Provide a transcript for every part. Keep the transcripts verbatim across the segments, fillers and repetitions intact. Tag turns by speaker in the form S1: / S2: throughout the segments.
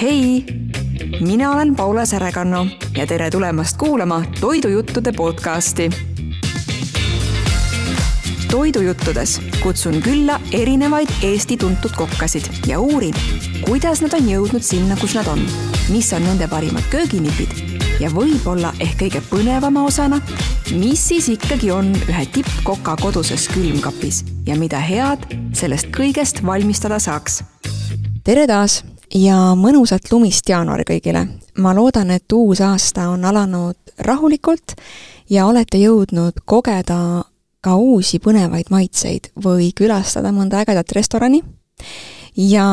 S1: Hei! Mina olen Paula Särekanno ja tere tulemast kuulama Toidujuttude podcasti. Toidujuttudes kutsun külla erinevaid Eesti tuntud kokkasid ja uurin, kuidas nad on jõudnud sinna, kus nad on, mis on nende parimad kööginipid ja võib-olla ehk kõige põnevama osana, mis siis ikkagi on ühe tippkoka koduses külmkapis ja mida head sellest kõigest valmistada saaks. Tere taas ja mõnusat lumist jaanuari kõigile. Ma loodan, et uus aasta on alanud rahulikult ja olete jõudnud kogeda ka uusi põnevaid maitseid või külastada mõnda ägedat restorani. Ja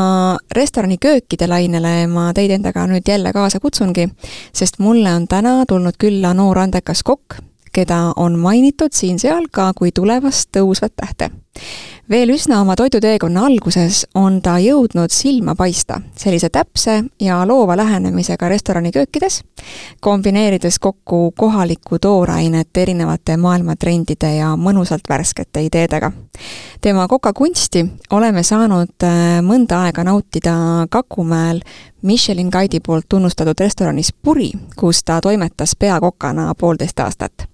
S1: restorani köökide lainele ma teid endaga nüüd jälle kaasa kutsungi, sest mulle on täna tulnud külla noor andekas kokk, keda on mainitud siin seal ka kui tulevast tõusvat tähte. Veel üsna oma toiduteekonna alguses on ta jõudnud silma paista sellise täpse ja loova lähenemisega restorani köökides, kombineerides kokku kohalikku toorainet erinevate maailmatrendide ja mõnusalt värskete ideedega. Tema kokakunsti oleme saanud mõnda aega nautida Kakumäel Michelin Guide'i poolt tunnustatud restoranis Puri, kus ta toimetas peakokana poolteist aastat.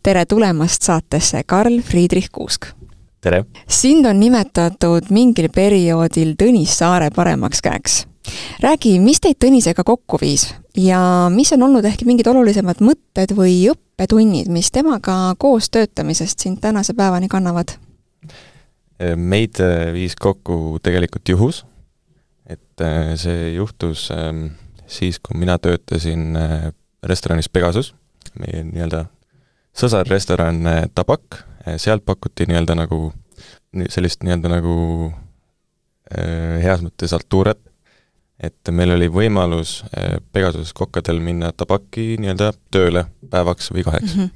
S1: Tere tulemast saatesse, Karl Friedrich Kuusk!
S2: Tere!
S1: Sind on nimetatud mingil perioodil Tõnis Saare paremaks käeks. Räägi, mis teid Tõnisega kokku viis ja mis on olnud ehk mingid olulisemad mõtted või õppetunnid, mis temaga koos töötamisest sind tänase päevani kannavad?
S2: Meid viis kokku tegelikult juhus, et see juhtus siis, kui mina töötasin restoranis Pegasus, meie nii-öelda sõsarrestoran Tabak. Sealt pakuti nii-öelda nagu sellist nii-öelda nagu äh, heas mõttes altuuret, et meil oli võimalus äh, Pegasus kokkadel minna Tabaki nii-öelda tööle päevaks või kaheks. Mm -hmm.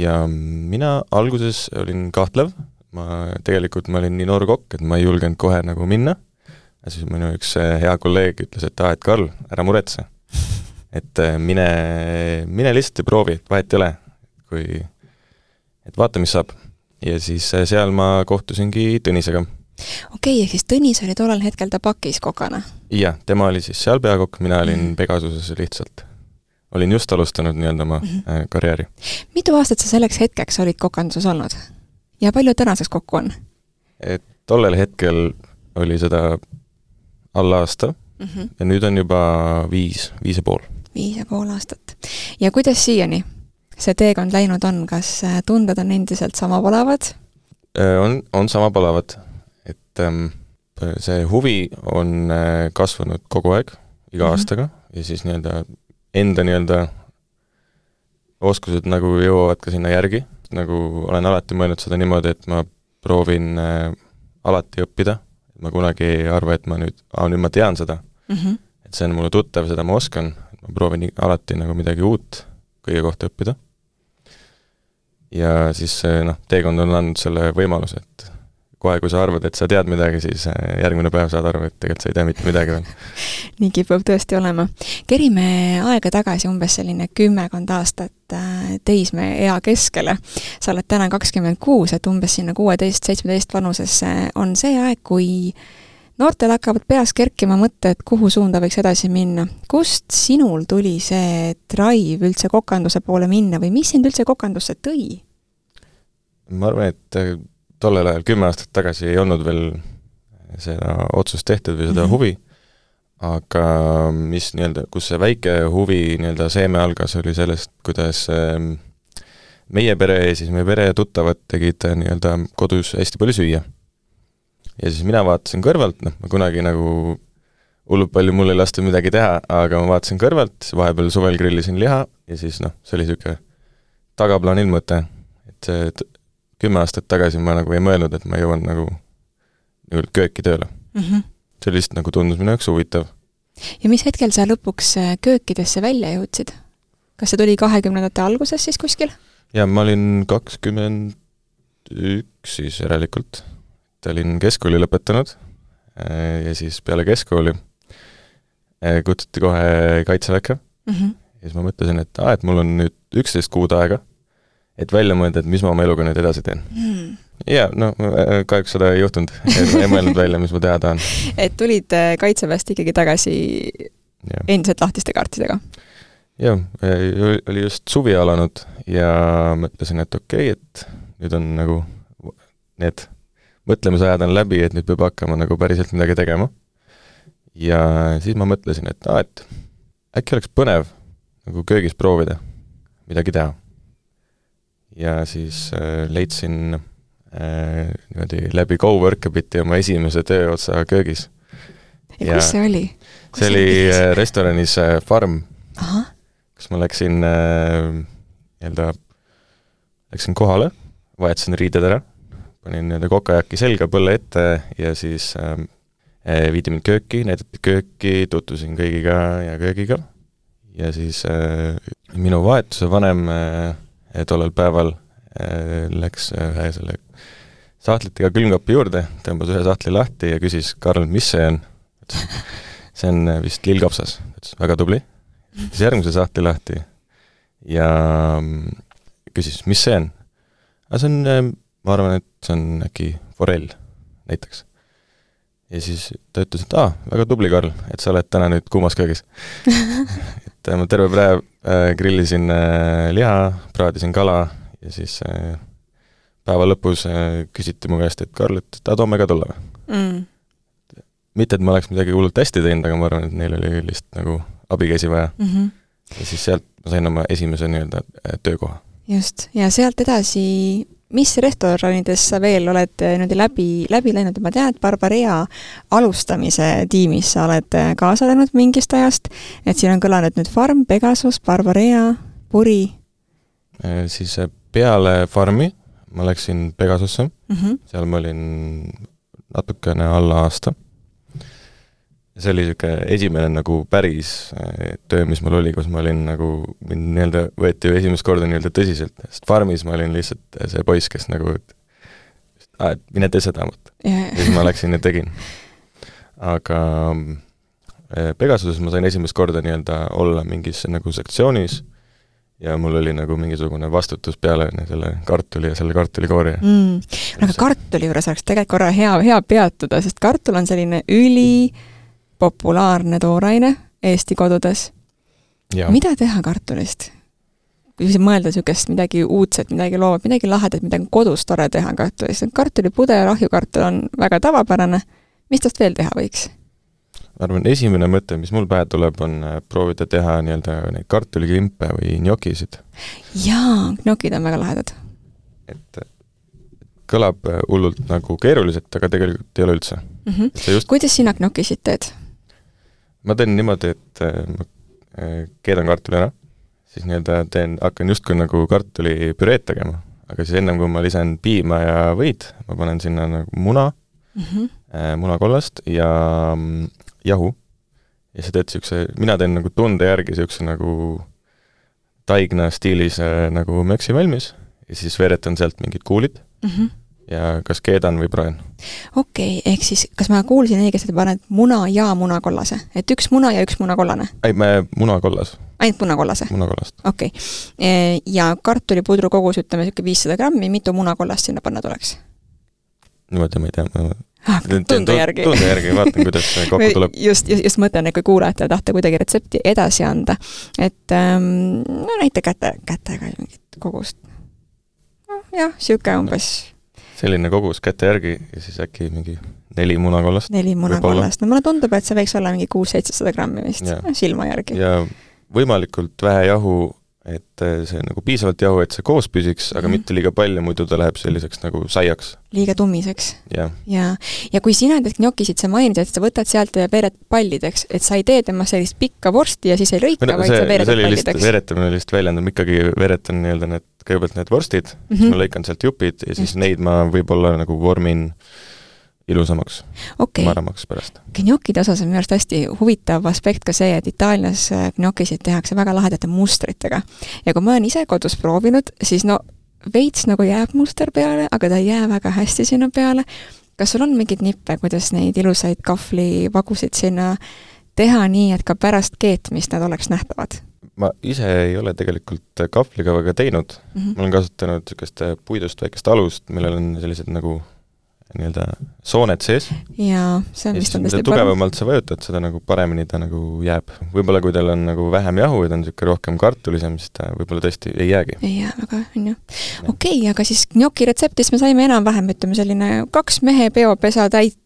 S2: Ja mina alguses olin kahtlev, ma tegelikult ma olin nii noor kokk, et ma ei julgenud kohe nagu minna, ja siis minu üks hea kolleeg ütles, et ah, et Karl, ära muretse, et mine, mine lihtsalt ja proovi, et vahet ei ole, kui et vaata, mis saab. Ja siis seal ma kohtusingi Tõnisega.
S1: Okei, ehk siis Tõnis oli tollal hetkel Tabakis kokana?
S2: Jah, tema oli siis seal peakokk, mina olin mm -hmm. Pegasuses lihtsalt. Olin just alustanud nii-öelda oma mm -hmm. karjääri. Mitu
S1: aastat sa selleks hetkeks olid kokanduses olnud? Ja palju tänaseks kokku on?
S2: Et tollel hetkel oli seda alla aasta mm -hmm. ja nüüd on juba viis, viis ja pool.
S1: Viis ja pool aastat. Ja kuidas siiani see teekond läinud on, kas tunded on endiselt sama palavad?
S2: On, on sama palavad, et ähm, see huvi on kasvanud kogu aeg, iga mm -hmm. aastaga, ja siis nii-öelda enda nii-öelda oskused nagu jõuavad ka sinna järgi, nagu olen alati mõelnud seda niimoodi, et ma proovin äh, alati õppida, ma kunagi ei arva, et ma nüüd, ah, nüüd ma tean seda, mm -hmm. et see on mulle tuttav, seda ma oskan, ma proovin alati nagu midagi uut kõige kohta õppida. Ja siis noh, teekond on andnud selle võimaluse, et kohe, kui sa arvad, et sa tead midagi, siis järgmine päev saad arvu, et tegelikult sa ei tea mitte midagi veel.
S1: Nii kipub tõesti olema. Kerime aega tagasi umbes selline kümmekond aastat teisme ea keskele. Sa oled täna kakskümmend kuus, et umbes sinna kuueteist seitsmeteist vanusesse on see aeg, kui noortel hakkavad peas kerkima mõtte, et kuhu suunda võiks edasi minna. Kust sinul tuli see drive üldse kokanduse poole minna või mis sind üldse kokandusse tõi?
S2: Ma arvan, et tollel ajal kümme aastat tagasi ei olnud veel seda otsust tehtud või seda mm -hmm. huvi, aga mis nii-öelda, kus see väike huvi nii-öelda seeme algas, oli sellest, kuidas meie pere ja siis meie pere ja tuttavad tegid nii-öelda kodus hästi palju süüa. Ja siis mina vaatasin kõrvalt, noh, ma kunagi nagu hullult palju mul ei lasta midagi teha, aga ma vaatasin kõrvalt, vahepeal suvel grillisin liha ja siis noh, see oli niisugune tagaplaanil mõte, et see kümme aastat tagasi ma nagu ei mõelnud, et ma jõuan nagu, nagu kööki tööle. Mm -hmm. See lihtsalt nagu tundus minu jaoks huvitav.
S1: Ja mis hetkel sa lõpuks köökidesse välja jõudsid? Kas see tuli kahekümnendate alguses siis kuskil?
S2: Ja ma olin kakskümmend üks siis järelikult. Olin keskkooli lõpetanud ja siis peale keskkooli kutsuti kohe kaitseväkke. Mm -hmm. Ja siis ma mõtlesin, et, ah, et mul on nüüd üksteist kuud aega, et välja mõelda, et mis ma oma eluga nüüd edasi teen. Mm. jaa, no kahjuks seda ei juhtunud. Ei mõelnud välja, mis ma teha tahan.
S1: Et tulid kaitseväest ikkagi tagasi ja. Endiselt lahtiste kaartidega?
S2: Jah, oli just suvi alanud ja mõtlesin, et okei, okay, et nüüd on nagu need mõtlemisajad on läbi, et nüüd peab hakkama nagu päriselt midagi tegema. Ja siis ma mõtlesin, et, aa, et äkki oleks põnev nagu köögis proovida midagi teha. Ja siis äh, leidsin äh, niimoodi läbi GoWorkabiti oma esimese tööotsa köögis.
S1: Ja, ja kus see oli? Kus
S2: see oli äh, restoranis äh, Farm,
S1: Aha.
S2: kus ma läksin äh, jälle, läksin kohale, vahetasin riided ära, panin kokajaki selga põlle ette ja siis äh, viidi mind kööki, näidati kööki, tutvusin kõigiga ja köögiga ja siis äh, minu vahetuse vanem äh, tollel päeval äh, läks ühe selle sahtlitega külmkapi juurde, tõmbas ühe sahtli lahti ja küsis, Karl, mis see on? See on vist lillkapsas. Väga tubli. Siis järgmise sahtli lahti ja küsis, mis see on? Aga see on, ma arvan, et see on äkki forell näiteks. Ja siis ta ütles, et aa, väga tubli, Karl, et sa oled täna nüüd kuumas köögis. et ma terve päev äh, grillisin äh, liha, praadisin kala ja siis äh, päeva lõpus äh, küsiti mu käest, et Karl, et ta toome ka tulla. Mm. Mitte, et ma oleks midagi hullult hästi teinud, aga ma arvan, et neil oli lihtsalt nagu abikäsi vaja. Mm-hmm. Ja siis sealt ma sain oma esimese nii-öelda töökoha.
S1: Just, ja sealt edasi, mis restoranides sa veel oled nüüd läbi, läbi läinud? Ma tean, et Barbarea alustamise tiimis sa oled kaasa läinud mingist ajast, et siin on kõlanud nüüd Farm, Pegasus, Barbarea, Puri.
S2: Siis peale Farmi ma läksin Pegasusse, mm-hmm. seal ma olin natukene alla aasta. See oli siuke esimene nagu päris töö, mis mul oli, kus ma olin nagu, mind nii-öelda võeti ju esimest korda nii-öelda tõsiselt, sest Farmis ma olin lihtsalt see poiss, kes nagu, et, ah, et mine tee seda, ja siis ma läksin ja tegin. Aga Pegasuses ma sain esimest korda nii-öelda olla mingis nagu sektsioonis ja mul oli nagu mingisugune vastutus peale selle kartuli ja selle kartulikoori.
S1: Mm. Aga kartuli juures oleks tegelikult korra hea, hea peatuda, sest kartul on selline üli populaarne tooraine Eesti kodudes. Ja. Mida teha kartulist? Kui mõelda niisugust midagi uudset, midagi loovat, midagi lahedat, midagi kodus tore teha kartulist. Kartulipude ja rahjukartul on väga tavapärane. Mis tast veel teha võiks?
S2: Ma arvan, esimene mõte, mis mul pähe tuleb, on proovida teha nii-öelda neid kartuliklimpe või njokisid.
S1: Jaa, njokid on väga lahedad.
S2: Et kõlab hullult nagu keeruliselt, aga tegelikult ei ole üldse.
S1: Mm-hmm. Just... Kuidas sina njokisid teed?
S2: Ma teen niimoodi, et ma keedan kartuli ära, siis nii-öelda teen, hakkan justkui nagu kartuli püreed tegema, aga siis ennem kui ma lisan piima ja võid, ma panen sinna nagu muna, mm-hmm. munakollast ja jahu. Ja see teed siukse, mina teen nagu tunde järgi siukse nagu taigna stiilis nagu möksi valmis ja siis veeretan sealt mingid kuulid. Mm-hmm. Ja kas keedan või praen.
S1: Okei, okay, ehk siis kas ma kuulsin õigesti, et paned muna ja munakollase? Et üks muna ja üks munakollane?
S2: Ei, me munakollas.
S1: Ainult munakollase?
S2: Munakollast.
S1: Okei. Okay. Ja kartulipudru kogus, ütleme, viissada grammi, mitu munakollast sinna panna tuleks?
S2: Niimoodi ma ei tea.
S1: Ah, tunde järgi.
S2: Tunde järgi, vaatan, kuidas kokku tuleb.
S1: Just, just, just mõtlen, et kui kuulajate tahta kuidagi retsepti edasi anda. Et ähm, no näite käte, kätega mingit kogust. No, jah, siuke umbes...
S2: Selline kogus käte järgi ja siis äkki mingi neli munakollast.
S1: Neli munakollast. No mulle tundub, et see võiks olla mingi kuus-seitsesada grammi vist ja. Silma järgi.
S2: Ja võimalikult vähe jahu, et see nagu piisavalt jahu, et see koos püsiks, aga mm. mitte liiga palju, muidu ta läheb selliseks nagu saiaks.
S1: Liiga tummiseks.
S2: Ja.
S1: Ja, ja kui sina teed njokisid, sa mainid, et sa võtad sealt ja veered pallideks, et sa ei tee tema sellist pikka vorsti ja siis ei lõika, no, vaid
S2: see,
S1: sa veered pallideks.
S2: Lihtsalt, veeretamine lihtsalt väljendab, ikkagi veeretan nii-öelda need kõigepealt need vorstid, mm-hmm. siis ma lõikan sealt jupid ja siis Just. Neid ma võib-olla nagu vormin ilusamaks,
S1: okay.
S2: maramaks pärast.
S1: Gnocchide osas on minu arust hästi huvitav aspekt ka see, et Itaalias gnocchisid tehakse väga lahedate mustritega. Ja kui ma olen ise kodus proovinud, siis no veits nagu jääb muster peale, aga ta ei jää väga hästi sinna peale. Kas sul on mingid nippe, kuidas neid ilusaid kahvlivagusid sinna teha nii, et ka pärast keetmist nad oleks nähtavad?
S2: ma ise ei ole tegelikult kahvliga väga teinud mm, -hmm. ma olen kasutanud niisugust puidust väikest alust, millel on sellised nagu nii-öelda sooned sees.
S1: Jaa, see on vist on
S2: tõesti tugevamalt sa vajutad, seda nagu paremini ta nagu jääb. Võib-olla kui teil on nagu vähem jahu ja ta on niisugune rohkem kartulisem, siis ta võib-olla tõesti ei jäägi.
S1: Ei jää väga, on ju. Okei, okay, aga siis gnocchi retseptis me saime enam-vähem, ütleme selline kaks mehe peopesa täit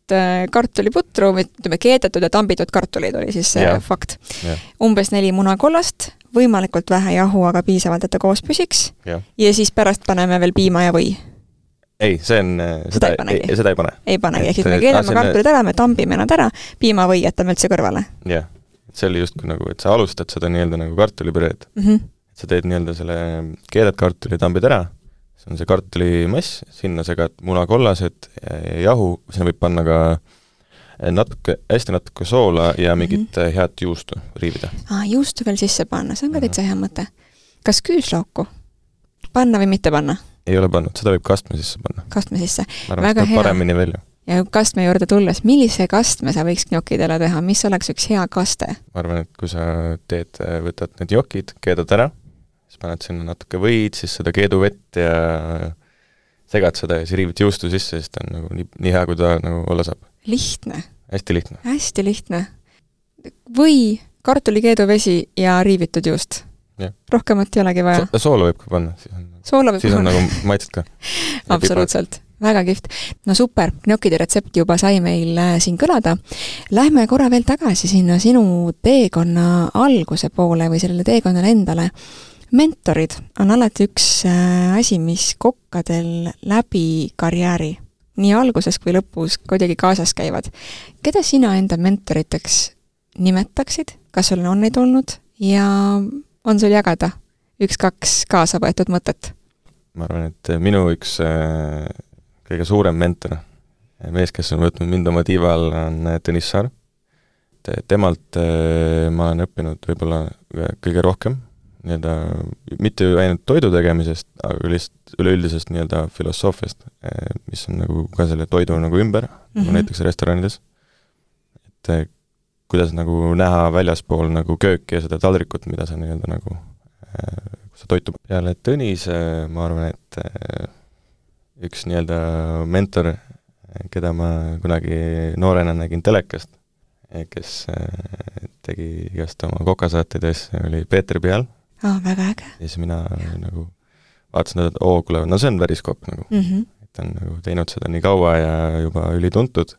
S1: kartuliputru, ütleme keedetud ja tambitud kartulid oli siis ja. Fakt. Ja. Umbes neli munakollast, võimalikult vähe jahu, aga piisavalt, et ta koos püsiks. Ja, ja siis pärast paneme veel piima ja või.
S2: Ei, see on, seda, seda, ei, ei, seda ei pane.
S1: Ei panegi, ehk siis me keeleme kartulid ära, me tambime nad ära, piima või jätame üldse kõrvale.
S2: Jah, see oli just nagu, et sa alustad seda nii-öelda nagu kartulipüreed. Mm -hmm. sa teed nii-öelda selle keedad kartuli, tambid ära, see on see kartulimass, sinna segad munakollased, jahu, sinna võib panna ka natuke, hästi natuke soola ja mingit mm -hmm. head juustu riivida.
S1: Aa, juustu veel sisse panna, see on ka täitsa hea mõte. Kas küüslauku panna või mitte panna?
S2: Ei ole pannud, seda võib kastme sisse panna.
S1: Kastme sisse.
S2: Väga hea. Paremini välja.
S1: Ja kastme juurde tulles, millise kastme sa võiks gnokidele teha? Mis oleks üks hea kaste?
S2: Ma arvan, et kui sa teed, võtad need jokid, keedad ära, siis paned sinna natuke võid, siis seda keeduvett ja segad seda ja siis riivid juustu sisse, siis ta on nagu nii, nii hea, kui ta nagu olla saab.
S1: Lihtne.
S2: Hästi lihtne.
S1: Hästi lihtne. Või kartulikeeduvesi ja riivitud juust. Ja. Rohkemat ei olegi vaja.
S2: So soola võib ka panna. Siis on,
S1: soola võib
S2: siis on nagu maitset ka.
S1: Absoluutselt. Väga kihvt. No super, gnokide retsepti juba sai meil siin kõlada. Lähme korra veel tagasi sinna sinu teekonna alguse poole või sellele teekonnale endale. Mentorid on alati üks asi, mis kokkadel läbi karjääri, nii alguses kui lõpus kuidagi kaasas käivad. Keda sina enda mentoriteks nimetaksid? Kas sul on neid olnud? Ja on sul jagada üks-kaks kaasa võetud mõtet?
S2: Ma arvan, et minu üks äh, kõige suurem mentor, mees, kes on võtnud mind oma tiiva all, on Tõnis Saar. Temalt äh, ma olen õppinud võib-olla kõige rohkem, nii-öelda mitte ainult toidu tegemisest, aga lihtsalt üleüldisest nii-öelda filosoofiast, äh, mis on nagu ka selle toidu nagu ümber, mm-hmm. nagu näiteks restoranides. Et äh, kuidas nagu näha väljaspool nagu kööki ja seda taldrikut, mida sa nii-öelda nagu äh, sa toitu peale Tõnis, ma arvan, et üks nii-öelda mentor, keda ma kunagi noorena nägin telekast, kes tegi igast oma kokasaatedes, oli Peeter Peal.
S1: Oh, väga äge.
S2: Ja siis mina ja. nagu vaatasin, et oo, kuule, no see on päris kopp nagu. Mm -hmm. Et on nagu teinud seda nii kaua ja juba ülituntud.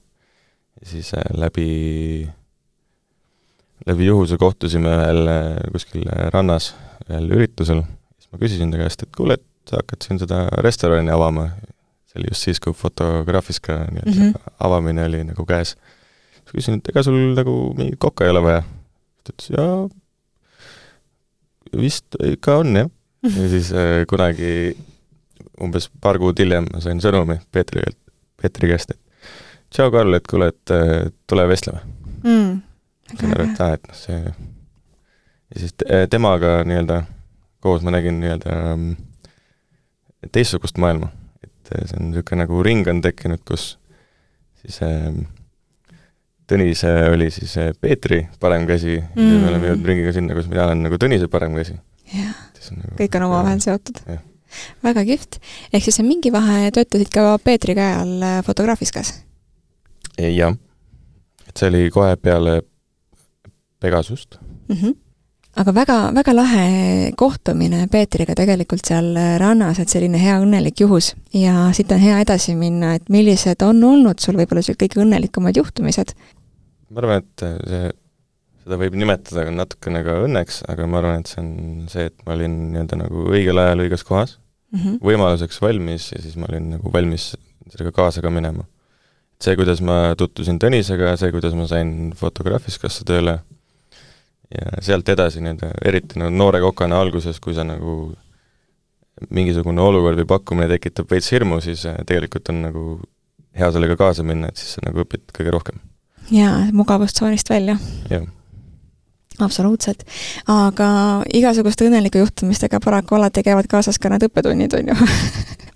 S2: Ja siis läbi, läbi juhuse kohtusime ühel kuskil rannas ühel üritusel. Siis ma küsisin ta käest, et kuule, et sa hakkad siin seda restorani avama. See oli just siis, kui Fotograafiska mm -hmm. avamine oli nagu käes. Siis küsin, et ega sul nagu mingit kokka ei ole vaja. Ta ütles, jaa, vist ikka on, jah. Mm -hmm. Ja siis äh, kunagi umbes paar kuud hiljem ma sain sõnumi Peetri, Peetri käest, et tšau, Karl, et kuule, et äh, tule vestleme. Mm. Sain aru, et, et see... Ja siis te temaga nii-öelda koos ma nägin nii-öelda teistsugust maailma. Et see on niisugune nagu ring on tekkinud, kus siis äh, Tõnis oli siis Peetri parem käsi mm. ja me oleme jõudnud ringiga sinna, kus mina olen nagu Tõnise parem käsi.
S1: Jah, nagu, kõik on oma vahel seotud. Ja. Väga kihvt. Ehk siis mingi vahe töötasid ka Peetri käe all Fotograafiskas?
S2: Jah. Et see oli kohe peale Pegasust.
S1: Mhm. Aga väga, väga lahe kohtumine Peetriga tegelikult seal rannas, et selline hea õnnelik juhus. Ja siit on hea edasi minna, et millised on olnud sul võib-olla see kõige õnnelikumad juhtumised?
S2: Ma arvan, et see, seda võib nimetada natukene ka õnneks, aga ma arvan, et see on see, et ma olin nii-öelda nagu õigel ajal õiges kohas, mm -hmm. võimaluseks valmis ja siis ma olin nagu valmis sellega kaasa ka minema. See, kuidas ma tutvusin Tõnisega, see, kuidas ma sain Fotograafiskasse tööle, ja sealt edasi nii-öelda, eriti no, noore kokana alguses, kui sa nagu mingisugune olukord või pakkumine tekitab veits hirmu, siis tegelikult on nagu hea sellega kaasa minna, et siis sa nagu õpid kõige rohkem.
S1: Jaa, mugavustsoonist välja.
S2: Jah.
S1: Absoluutselt. Aga igasuguste õnnelike juhtumistega paraku alati käivad kaasas ka need õppetunnid, on ju.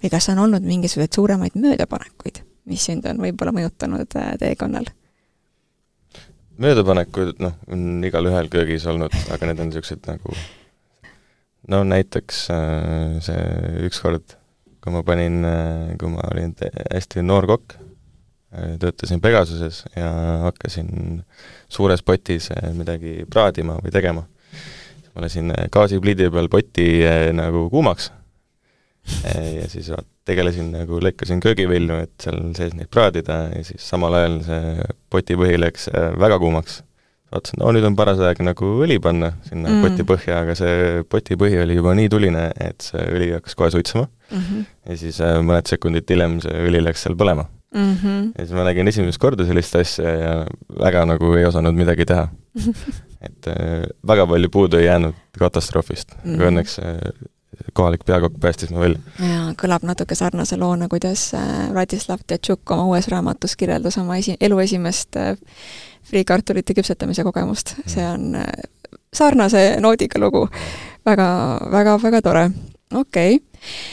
S1: Või kas on olnud mingisugused suuremaid möödapanekuid, mis sind on võib-olla mõjutanud teekonnal?
S2: Möödapanekud, noh, on igal ühel köögis olnud, aga need on niisugused nagu no näiteks see ükskord, kui ma panin, kui ma olin hästi noor kokk, töötasin Pegasuses ja hakkasin suures potis midagi praadima või tegema. Ma lasin gaasipliidi peal poti nagu kuumaks ja siis tegelesin nagu, lõikasin köögivilju, et seal sees neid praadida ja siis samal ajal see poti põhi läks väga kuumaks. Vaatasin, no nüüd on paras aeg nagu õli panna sinna mm. poti põhja, aga see poti põhi oli juba nii tuline, et see õli hakkas kohe suitsema mm-hmm. ja siis mõned sekundid hiljem see õli läks seal põlema. Mm-hmm. Ja siis ma nägin esimest korda sellist asja ja väga nagu ei osanud midagi teha. et äh, väga palju puudu ei jäänud katastroofist, mm-hmm. aga õnneks äh, kohalik peakokk päästis ma välja.
S1: Ja kõlab natuke sarnase loona, kuidas äh, Vladislav Tjatšuk oma uues raamatus kirjeldas oma esi- elu esimest äh, friikartulite küpsetamise kogemust. Mm. See on äh, sarnase noodiga lugu. Väga, väga, väga tore. Okei. Okay.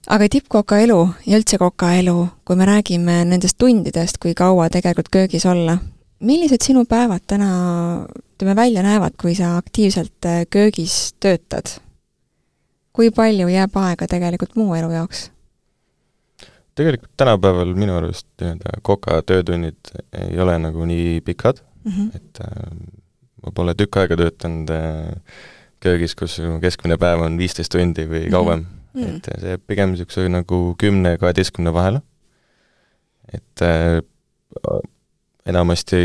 S1: Aga tippkoka elu ja üldse koka elu, kui me räägime nendest tundidest, kui kaua tegelikult köögis olla, millised sinu päevad täna ütleme, välja näevad, kui sa aktiivselt köögis töötad? Kui palju jääb aega tegelikult muu elu jaoks?
S2: Tegelikult tänapäeval minu arust koka töötunnid ei ole nagu nii pikad, mm-hmm. et äh, ma pole tükk aega töötanud äh, köögis, kus keskmine päev on viisteist tundi või kauem. Mm-hmm. et see pigem niisuguse nagu kümne kaheteistkümne vahele. Et äh, enamasti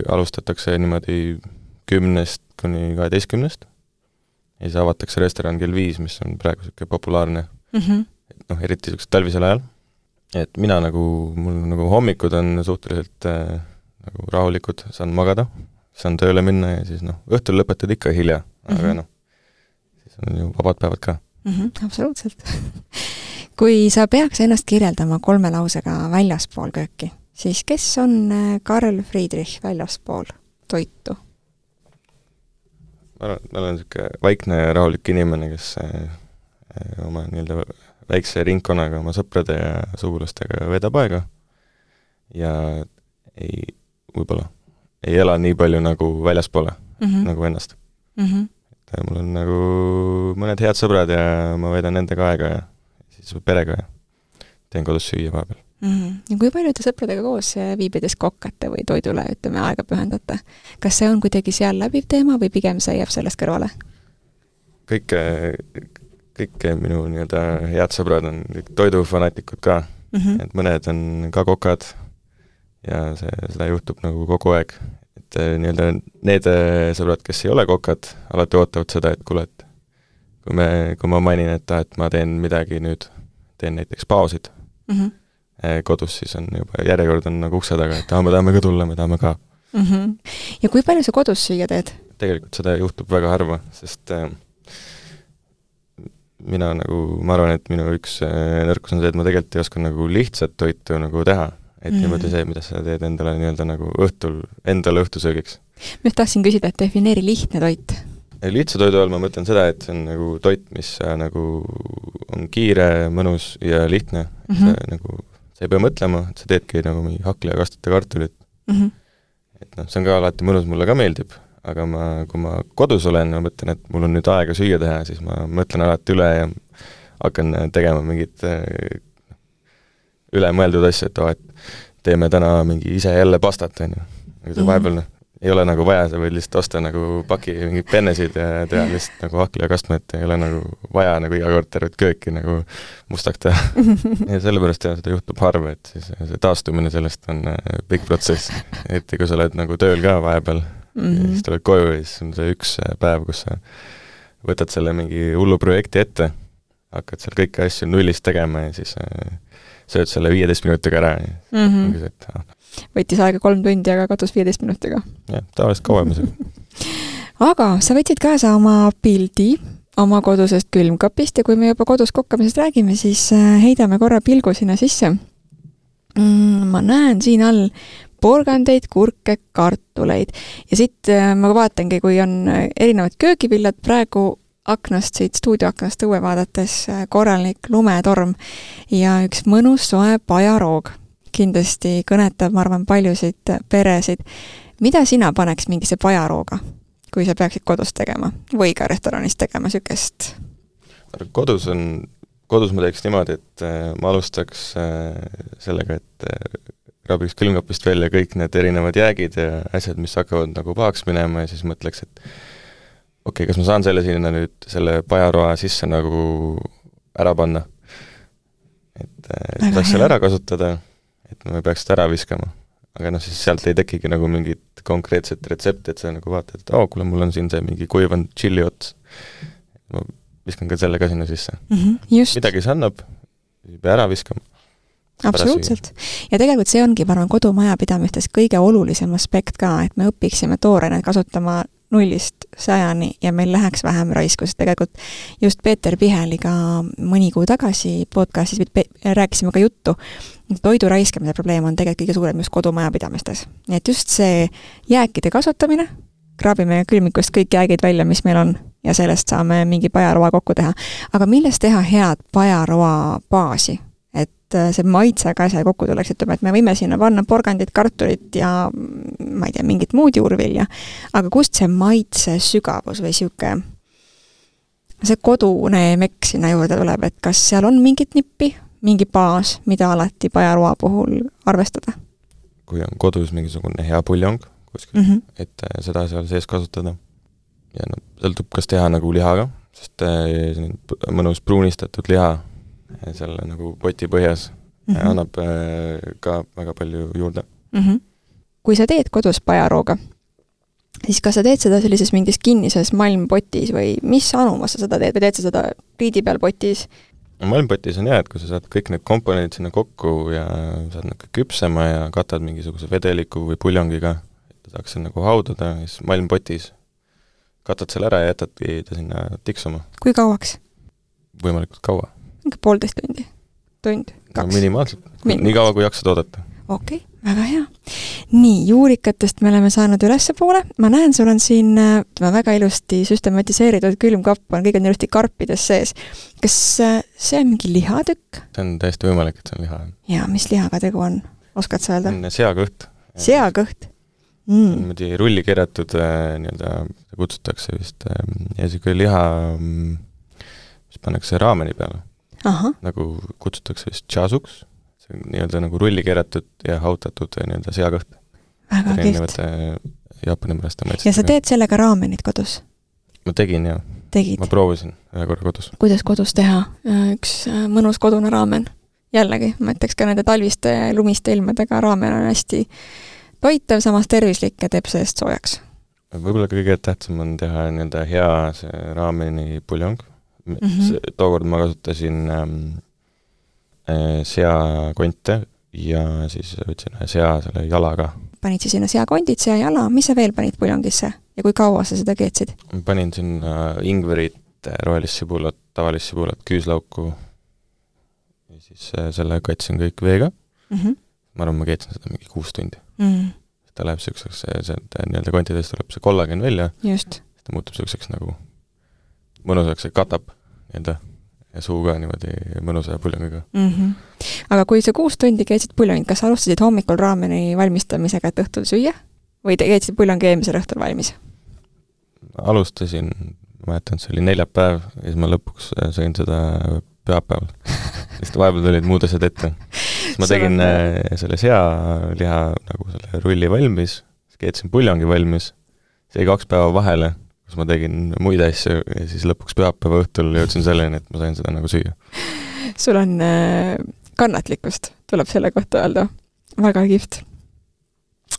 S2: alustatakse niimoodi kümnest kuni kaheteistkümnest ja siis avatakse restoran kell viis, mis on praegu niisugune populaarne, mm-hmm. et noh, eriti niisugused talvisel ajal. Et mina nagu, mul nagu hommikud on suhteliselt äh, nagu rahulikud, saan magada, saan tööle minna ja siis noh, õhtul lõpetad ikka hilja, mm-hmm. aga noh, siis on ju vabad päevad ka.
S1: Mm-hmm, absoluutselt. Kui sa peaks ennast kirjeldama kolme lausega väljaspool kööki, siis kes on Karl Friedrich väljaspool toitu?
S2: Ma olen, ma olen niisugune vaikne ja rahulik inimene, kes oma nii-öelda väikse ringkonnaga oma sõprade ja sugulastega vedab aega ja ei, võib-olla ei ela nii palju nagu väljaspoole, mm-hmm. nagu ennast. Mm-hmm. Mul on nagu mõned head sõbrad ja ma vedan nendega aega ja siis perega ja teen kodus süüa vahepeal.
S1: Mm-hmm. Ja kui palju te sõpradega koos viibides kokkate või toidule, ütleme, aega pühendate? Kas see on kuidagi seal läbiv teema või pigem see jääb sellest kõrvale?
S2: Kõik, kõik minu nii-öelda head sõbrad on toidufanaatikud ka, mm-hmm. et mõned on ka kokad ja see, seda juhtub nagu kogu aeg. Et nii-öelda need sõbrad, kes ei ole kokad, alati ootavad seda, et kuule, et kui, me, kui ma mainin, et, et ma teen midagi nüüd, teen näiteks pausid mm-hmm. kodus, siis on juba järjekord on nagu ukse taga, et ah, me tahame ka tulla, me tahame ka.
S1: Mm-hmm. Ja kui palju sa kodus süüa teed?
S2: Tegelikult seda juhtub väga harva, sest äh, mina nagu, ma arvan, et minu üks äh, nõrkus on see, et ma tegelikult ei oska nagu lihtsat toitu nagu teha. Et mm. niimoodi see, mida sa teed endale nii-öelda nagu õhtul, endale õhtusöögiks. Ma
S1: tahtsin küsida, et defineeri lihtne toit.
S2: Lihtsa toidu all ma mõtlen seda, et see on nagu toit, mis nagu on kiire, mõnus ja lihtne. Mm-hmm. Sa, nagu, sa ei pea mõtlema, et sa teedki nagu mingi hakli ja kastute kartulit. Mm-hmm. Et noh, see on ka alati mõnus, mulle ka meeldib, aga ma, kui ma kodus olen, ma mõtlen, et mul on nüüd aega süüa teha, siis ma mõtlen alati üle ja hakkan tegema mingit ülemõeldud asja, et, oh, et teeme täna mingi ise jälle pastat, on ju. Aga see vahepeal noh, ei ole nagu vaja, sa võid lihtsalt osta nagu paki mingid pennesid ja teha lihtsalt nagu hakli ja kastma, et ei ole nagu vaja nagu iga kord tervet kööki nagu mustaks teha. Ja sellepärast jah, seda juhtub harva, et siis see taastumine sellest on pikk protsess. Et kui sa oled nagu tööl ka vahepeal, mm-hmm. siis tuled koju ja siis on see üks päev, kus sa võtad selle mingi hullu projekti ette, hakkad seal kõiki asju nullist tegema ja siis sööd selle viieteist minutiga ära ja mm-hmm. ongi see, et ah.
S1: Võttis aega kolm tundi, aga katus viieteist minutiga.
S2: Jah, tavaliselt kauem see.
S1: Aga sa võtsid kaasa oma pildi oma kodusest külmkapist ja kui me juba kodus kokkamisest räägime, siis heidame korra pilgu sinna sisse. Mm, ma näen siin all porgandeid, kurke, kartuleid ja siit ma vaatangi, kui on erinevad köögivillad praegu aknast, siit stuudioaknast õue vaadates korralik lumetorm ja üks mõnus soe pajaroog. Kindlasti kõnetab, ma arvan, paljusid peresid. Mida sina paneks mingise pajarooga, kui sa peaksid kodus tegema või ka restoranis tegema sükest
S2: kodus on, kodus ma teeks niimoodi, et ma alustaks sellega, et kraabiks külmkapist välja kõik need erinevad jäägid ja asjad, mis hakkavad nagu pahaks minema ja siis mõtleks, et okei, okay, kas ma saan selle sinna nüüd, selle pajaroa sisse nagu ära panna. Et, et saaks selle ära kasutada, et ma ei peaks seda ära viskama. Aga noh, siis sealt ei tekigi nagu mingit konkreetset retsepti, et sa nagu vaatad, et oo, kuule, mul on siin see mingi kuivanud chili ots. Ma viskan ka selle ka sinna sisse.
S1: Mm-hmm, just.
S2: Midagi see annab, ei pea ära viskama.
S1: Absoluutselt. Ja tegelikult see ongi, ma arvan, kodumajapidamistes kõige olulisem aspekt ka, et me õpiksime toorena kasutama nullist sajani ja meil läheks vähem raisku, sest tegelikult just Peeter Piheliga mõni kuu tagasi podcastis rääkisime ka juttu, toidu raiskamise probleem on tegelikult kõige suurem just kodumajapidamistes. Nii et just see jääkide kasutamine, kraabime külmikust kõik jäägid välja, mis meil on, ja sellest saame mingi pajaroa kokku teha. Aga millest teha head pajaroa baasi? Et see maitse ka see kokku tuleks, ütleme, et me võime sinna panna porgandit, kartulit ja ma ei tea, mingit muud juurvilja, aga kust see maitse sügavus või siuke see kodune mekk sinna juurde tuleb, et kas seal on mingit nippi, mingi baas, mida alati pajaroa puhul arvestada?
S2: Kui on kodus mingisugune hea puljong kuskil, mm -hmm. et seda seal sees kasutada ja no, sõltub kas teha nagu lihaga, sest mõnus pruunistatud liha selle nagu poti põhjas mm -hmm. annab ka väga palju juurde.
S1: Mm -hmm. Kui sa teed kodus pajarooga, siis kas sa teed seda sellises mingis kinnises malmpotis või mis anumas sa seda teed või teed sa seda riidi peal potis?
S2: Malmpotis on hea, et kui sa saad kõik need komponendid sinna kokku ja saad nagu küpsema ja katad mingisuguse vedeliku või puljongiga, et saaks see nagu haudada, siis malmpotis katad selle ära ja jätadki ta sinna tiksuma.
S1: Kui kauaks?
S2: Võimalikult kaua.
S1: Mingi poolteist tundi? Tund? Kaks?
S2: No minimaalselt. Nii kaua, kui jaksad oodata.
S1: Okei, okay, väga hea. Nii, juurikatest me oleme saanud ülesse poole. Ma näen, sul on siin väga ilusti süstematiseeritud külmkapp, on kõik on ilusti karpides sees. Kas see on mingi lihatükk?
S2: See on täiesti võimalik, et see on liha.
S1: Ja, mis lihaga tegu on? Oskad sa öelda?
S2: On seakõht.
S1: Seakõht?
S2: Mm. On muidu rulli keeratud, nii-öelda kutsutakse vist, ja see kui liha, mis pannakse raameni peale.
S1: Aha.
S2: Nagu kutsutakse vist chasuks, see on nii-öelda nagu rulli keeratud ja hautatud nii-öelda seakõht.
S1: Väga kihvt.
S2: Jaapani pärast.
S1: Ja sa teed sellega raamenit kodus?
S2: Ma tegin, jah.
S1: Tegid?
S2: Ma proovisin ühe korra kodus.
S1: Kuidas kodus teha üks mõnus kodune raamen? Jällegi, ma ütleks ka nende talviste lumiste ilmadega raamen on hästi toitav, samas tervislik ja teeb seest soojaks.
S2: Võib-olla kõige tähtsam on teha nii-öelda hea see raameni puljong. Mm -hmm. Tookord ma kasutasin ähm, seakonte ja siis võtsin ühe sea selle jalaga. Panid
S1: siis sinna seakondid, sea jala, mis sa veel panid puljongisse ja kui kaua sa seda keetsid?
S2: Ma panin sinna ingverit, rohelist sibulat, tavalist sibulat, küüslauku ja siis selle katsin kõik veega. Mm -hmm. Ma arvan, ma keetsin seda mingi kuus tundi. Mm -hmm. Ta läheb selliseks, see, see nii-öelda kontidest tuleb see kollagen välja.
S1: Just.
S2: Ta muutub selliseks nagu mõnusaks, see katab nii-öelda ja suu ka niimoodi mõnusa puljongiga.
S1: Mm -hmm. Aga kui sa kuus tundi keetsid puljongid, kas alustasid hommikul raameni valmistamisega, et õhtul süüa? Või te keetsid puljongi eelmisel õhtul valmis?
S2: Alustasin, ma mäletan, see oli neljapäev ja siis ma lõpuks sõin seda pühapäeval. Sest vahepeal tulid muud asjad ette. Ma tegin on... selle sealiha nagu selle rulli valmis, keetsin puljongi valmis, see kaks päeva vahele, kus ma tegin muid asju ja siis lõpuks pühapäeva õhtul jõudsin selleni, et ma sain seda nagu süüa.
S1: Sul on äh, kannatlikkust, tuleb selle kohta öelda. Väga kihvt.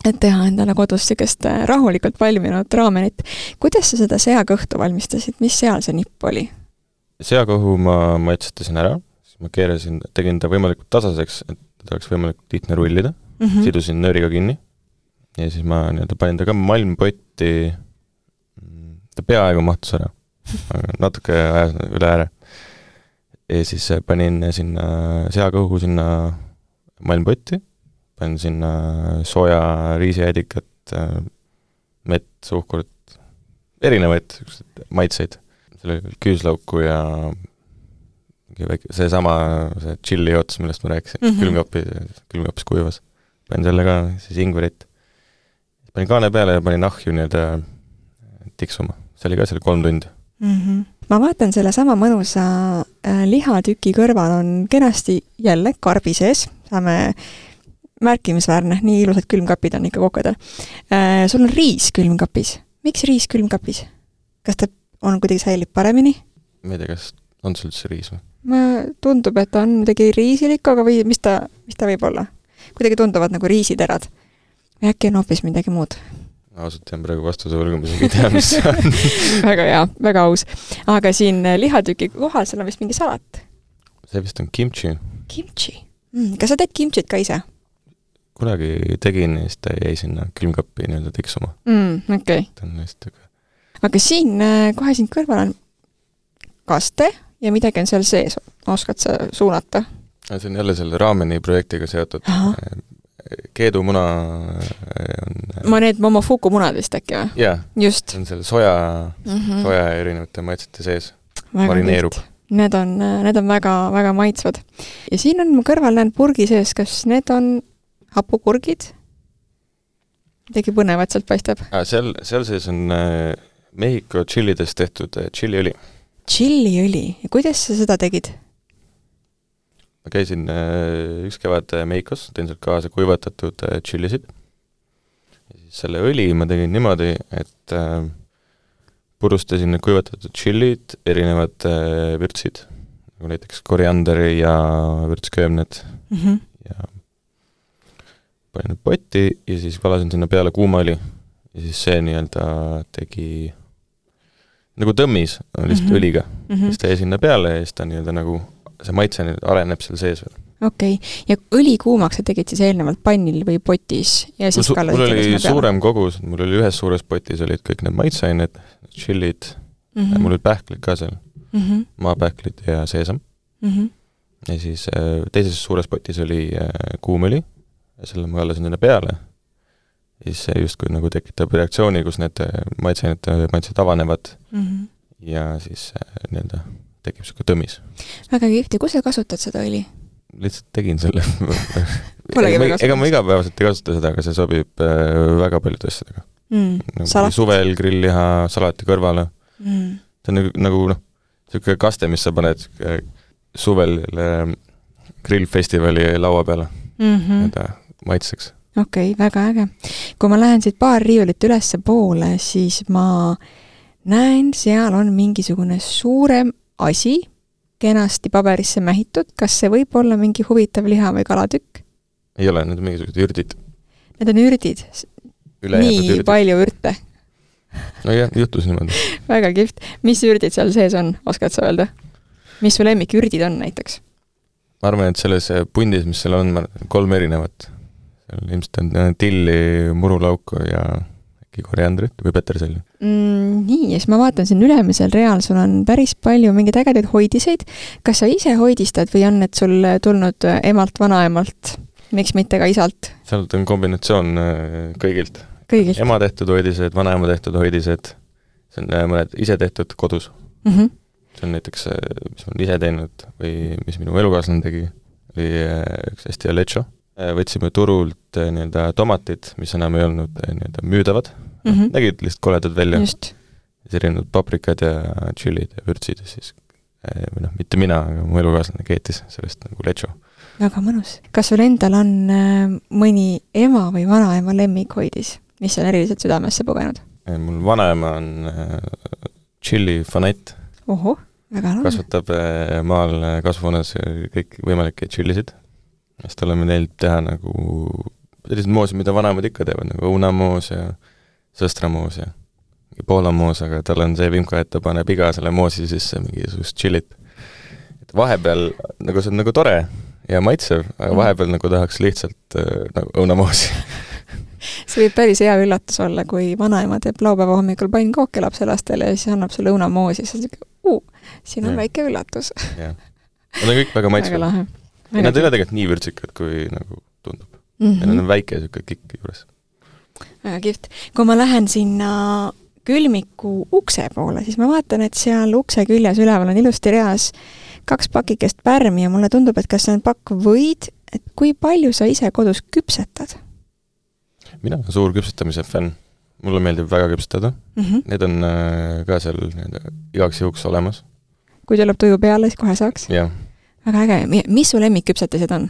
S1: Et teha endale kodus sellist rahulikult valminud raamenit. Kuidas sa seda seakõhtu valmistasid? Mis seal see nipp oli?
S2: Seakõhu ma maitsetasin ära, siis ma keerasin, tegin ta võimalikult tasaseks, et ta oleks võimalikult lihtne rullida. Mm -hmm. Sidusin nööriga kinni ja siis ma nii-öelda panin ta ka malmpotti. Ta peaaegu mahtus ära, natuke ajas üle ääre. Ja siis panin sinna seakõhu sinna malmpotti, panin sinna sooja riisijäädikat, mett, suhkurt, erinevaid maitseid. Selle küüslauku ja see sama see chili ots, millest ma rääkisin, mm -hmm. külmkapis, külmkapis kuivas. Panin selle ka, siis ingverit. Panin kaane peale ja panin ahju nii-öelda tiksuma. See oli ka seal kolm tundi.
S1: Mm -hmm. ma vaatan selle sama mõnusa äh, lihatüki kõrval on kenasti jälle karbi sees, saame märkimisväärne, nii ilusad külmkapid on ikka kokadel. Äh, sul on riis külmkapis. Miks riis külmkapis? Kas ta on kuidagi säilib paremini?
S2: Ma ei tea, kas on sul üldse riis või?
S1: Ma tundub, et on midagi riisilikku, aga või mis ta, mis ta võib olla? Kuidagi tunduvad nagu riisiterad. Või äkki on hoopis midagi muud?
S2: Ausalt jään praegu vastuse võlgu, mis ei tea, mis on.
S1: Väga hea, väga aus. Aga siin lihatüki kohal seal on vist mingi salat.
S2: See vist on kimchi.
S1: Kimchi? Mm, kas sa teed kimchit ka ise?
S2: Kunagi tegin, siis ta jäi sinna külmkappi nii-öelda tiksuma.
S1: Mm, okei. Okay. Aga siin kohe siin kõrval on kaste ja midagi on seal sees. Oskad sa suunata?
S2: See on jälle selle raameni projektiga seotud. Aha. Keedumuna on...
S1: Ma need momofuku munad vist äkki või?
S2: Jaa,
S1: just.
S2: See on selle soja, mm-hmm. soja erinevate maitsete sees.
S1: Väga
S2: marineerub.
S1: Need on, need on väga, väga maitsvad. Ja siin on mu kõrval näen purgi sees, kas need on hapukurgid? Midagi põnevat sealt paistab.
S2: Ah, seal, seal sees on äh, Mehhiko chillidest tehtud äh, chiliõli.
S1: Chiliõli? Ja kuidas sa seda tegid?
S2: Ma käisin äh, üks kevad Mehhikos, teen sealt kaasa kuivatatud äh, chilisid. Ja siis selle õli ma tegin niimoodi, et äh, purustasin need kuivatatud chilid, erinevad äh, vürtsid, nagu näiteks korianderi ja vürtsköömned mm-hmm. ja panin potti ja siis valasin sinna peale kuuma õli ja siis see nii-öelda tegi nagu tõmmis lihtsalt mm-hmm. õliga. Mm-hmm. Siis ta jäi sinna peale ja siis ta nii-öelda nagu see maitse areneb seal sees veel.
S1: Okei. Okay. Ja õli kuumaks sa tegid siis eelnevalt pannil või potis? Ja siis
S2: mul, mul oli suurem kogus, mul oli ühes suures potis olid kõik need maitseained, chillid, mm-hmm. mul olid pähklid ka seal, mm-hmm. maapähklid ja seesam. Mm-hmm. Ja siis teises suures potis oli kuumõli ja selle ma allasin sinna peale. Ja siis see justkui nagu tekitab reaktsiooni, kus need maitseained maitsed avanevad mm-hmm. ja siis nii-öelda tekib siuke tõmis.
S1: Väga kihvti. Kus sa kasutad seda õli?
S2: Lihtsalt tegin selle. ega, ma, ega ma igapäevaselt ei kasuta seda, aga see sobib äh, väga paljude asjadega. Mm, nagu suvel grillliha, salati kõrvale. Mm. See on nagu, nagu noh, siuke kaste, mis sa paned äh, suvel äh, grillfestivali laua peale. Mm-hmm. Eta maitseks.
S1: Okei, okay, väga äge. Kui ma lähen siit paar riiulit ülesse poole, siis ma näen, seal on mingisugune suurem asi, kenasti paberisse mähitud. Kas see võib olla mingi huvitav liha või kalatükk?
S2: Ei ole, need on mingisugused ürdid.
S1: Need on ürdid? Nii ürdid. Palju ürte?
S2: No jah, juhtus niimoodi.
S1: Väga kihvt. Mis ürdid seal sees on, oskad sa öelda? Mis su lemmik ürdid on näiteks?
S2: Ma arvan, et selles pundis, mis seal on, kolm erinevat. Seal ilmselt on tilli, murulauku ja koriandrit või peterselli.
S1: Mm, nii, ja siis ma vaatan siin ülemisel real, sul on päris palju mingeid ägedaid hoidiseid. Kas sa ise hoidistad või on need sul tulnud emalt, vanaemalt? Miks mitte ka isalt?
S2: Sealt on kombinatsioon kõigilt.
S1: Kõigilt?
S2: Ema tehtud hoidised, vanaema tehtud hoidised. See on mõned ise tehtud kodus. Mm-hmm. See on näiteks, mis ma olen ise teinud või mis minu elukaaslane tegi, oli üks hästi hea lecho. Võtsime turult nii-öelda tomatid, mis enam ei olnud nii-öelda müüdavad. Mm-hmm. Nägid lihtsalt koledad välja. Just. Siis erinevad paprikad ja chillid ja vürtsid ja siis, või noh, mitte mina, aga mu elukaaslane keetis sellest nagu lecho.
S1: Väga mõnus. Kas sul endal on mõni ema või vanaema lemmikhoidis, mis on eriliselt südamesse pugenud?
S2: Mul vanaema on chilli fanett.
S1: Oho, väga lahe.
S2: Kasvatab maal kasvuhoones kõik võimalikke chillisid. Siis oleme neilt teha nagu sellised moosid, mida vanemad ikka teevad, nagu õunamoos ja sõstramoos ja poolamoos, aga tal on see vimka, et ta paneb iga selle moosi sisse mingisugust chillit. Et vahepeal, nagu see on nagu tore ja maitsev, aga vahepeal nagu tahaks lihtsalt äh, nagu õunamoosi.
S1: See võib päris hea üllatus olla, kui vanaema teeb laupäeva hommikul pannkooke lapselastele ja siis annab sulle õunamoosi, siis on uu, siin on ja. Väike üllatus.
S2: Jah. Nad on kõik väga maitsvad.
S1: Väga lahe.
S2: Ja nad ei ole tegelikult nii vürtsikad, kui nagu tundub. Mm-hmm. Ja nad on väike siuke kikk juures.
S1: Väga kihvt. Kui ma lähen sinna külmiku ukse poole, siis ma vaatan, et seal ukse küljes üleval on ilusti reas kaks pakikest pärmi ja mulle tundub, et kas see on pakk võid, et kui palju sa ise kodus küpsetad?
S2: Mina olen suur küpsetamise fänn. mulle meeldib väga küpsetada
S1: mm. -hmm.
S2: Need on äh, ka seal igaks juhuks olemas.
S1: Kui tuleb tuju peale, siis kohe saaks?
S2: Jah.
S1: Väga äge. Mis su lemmikküpsetised on?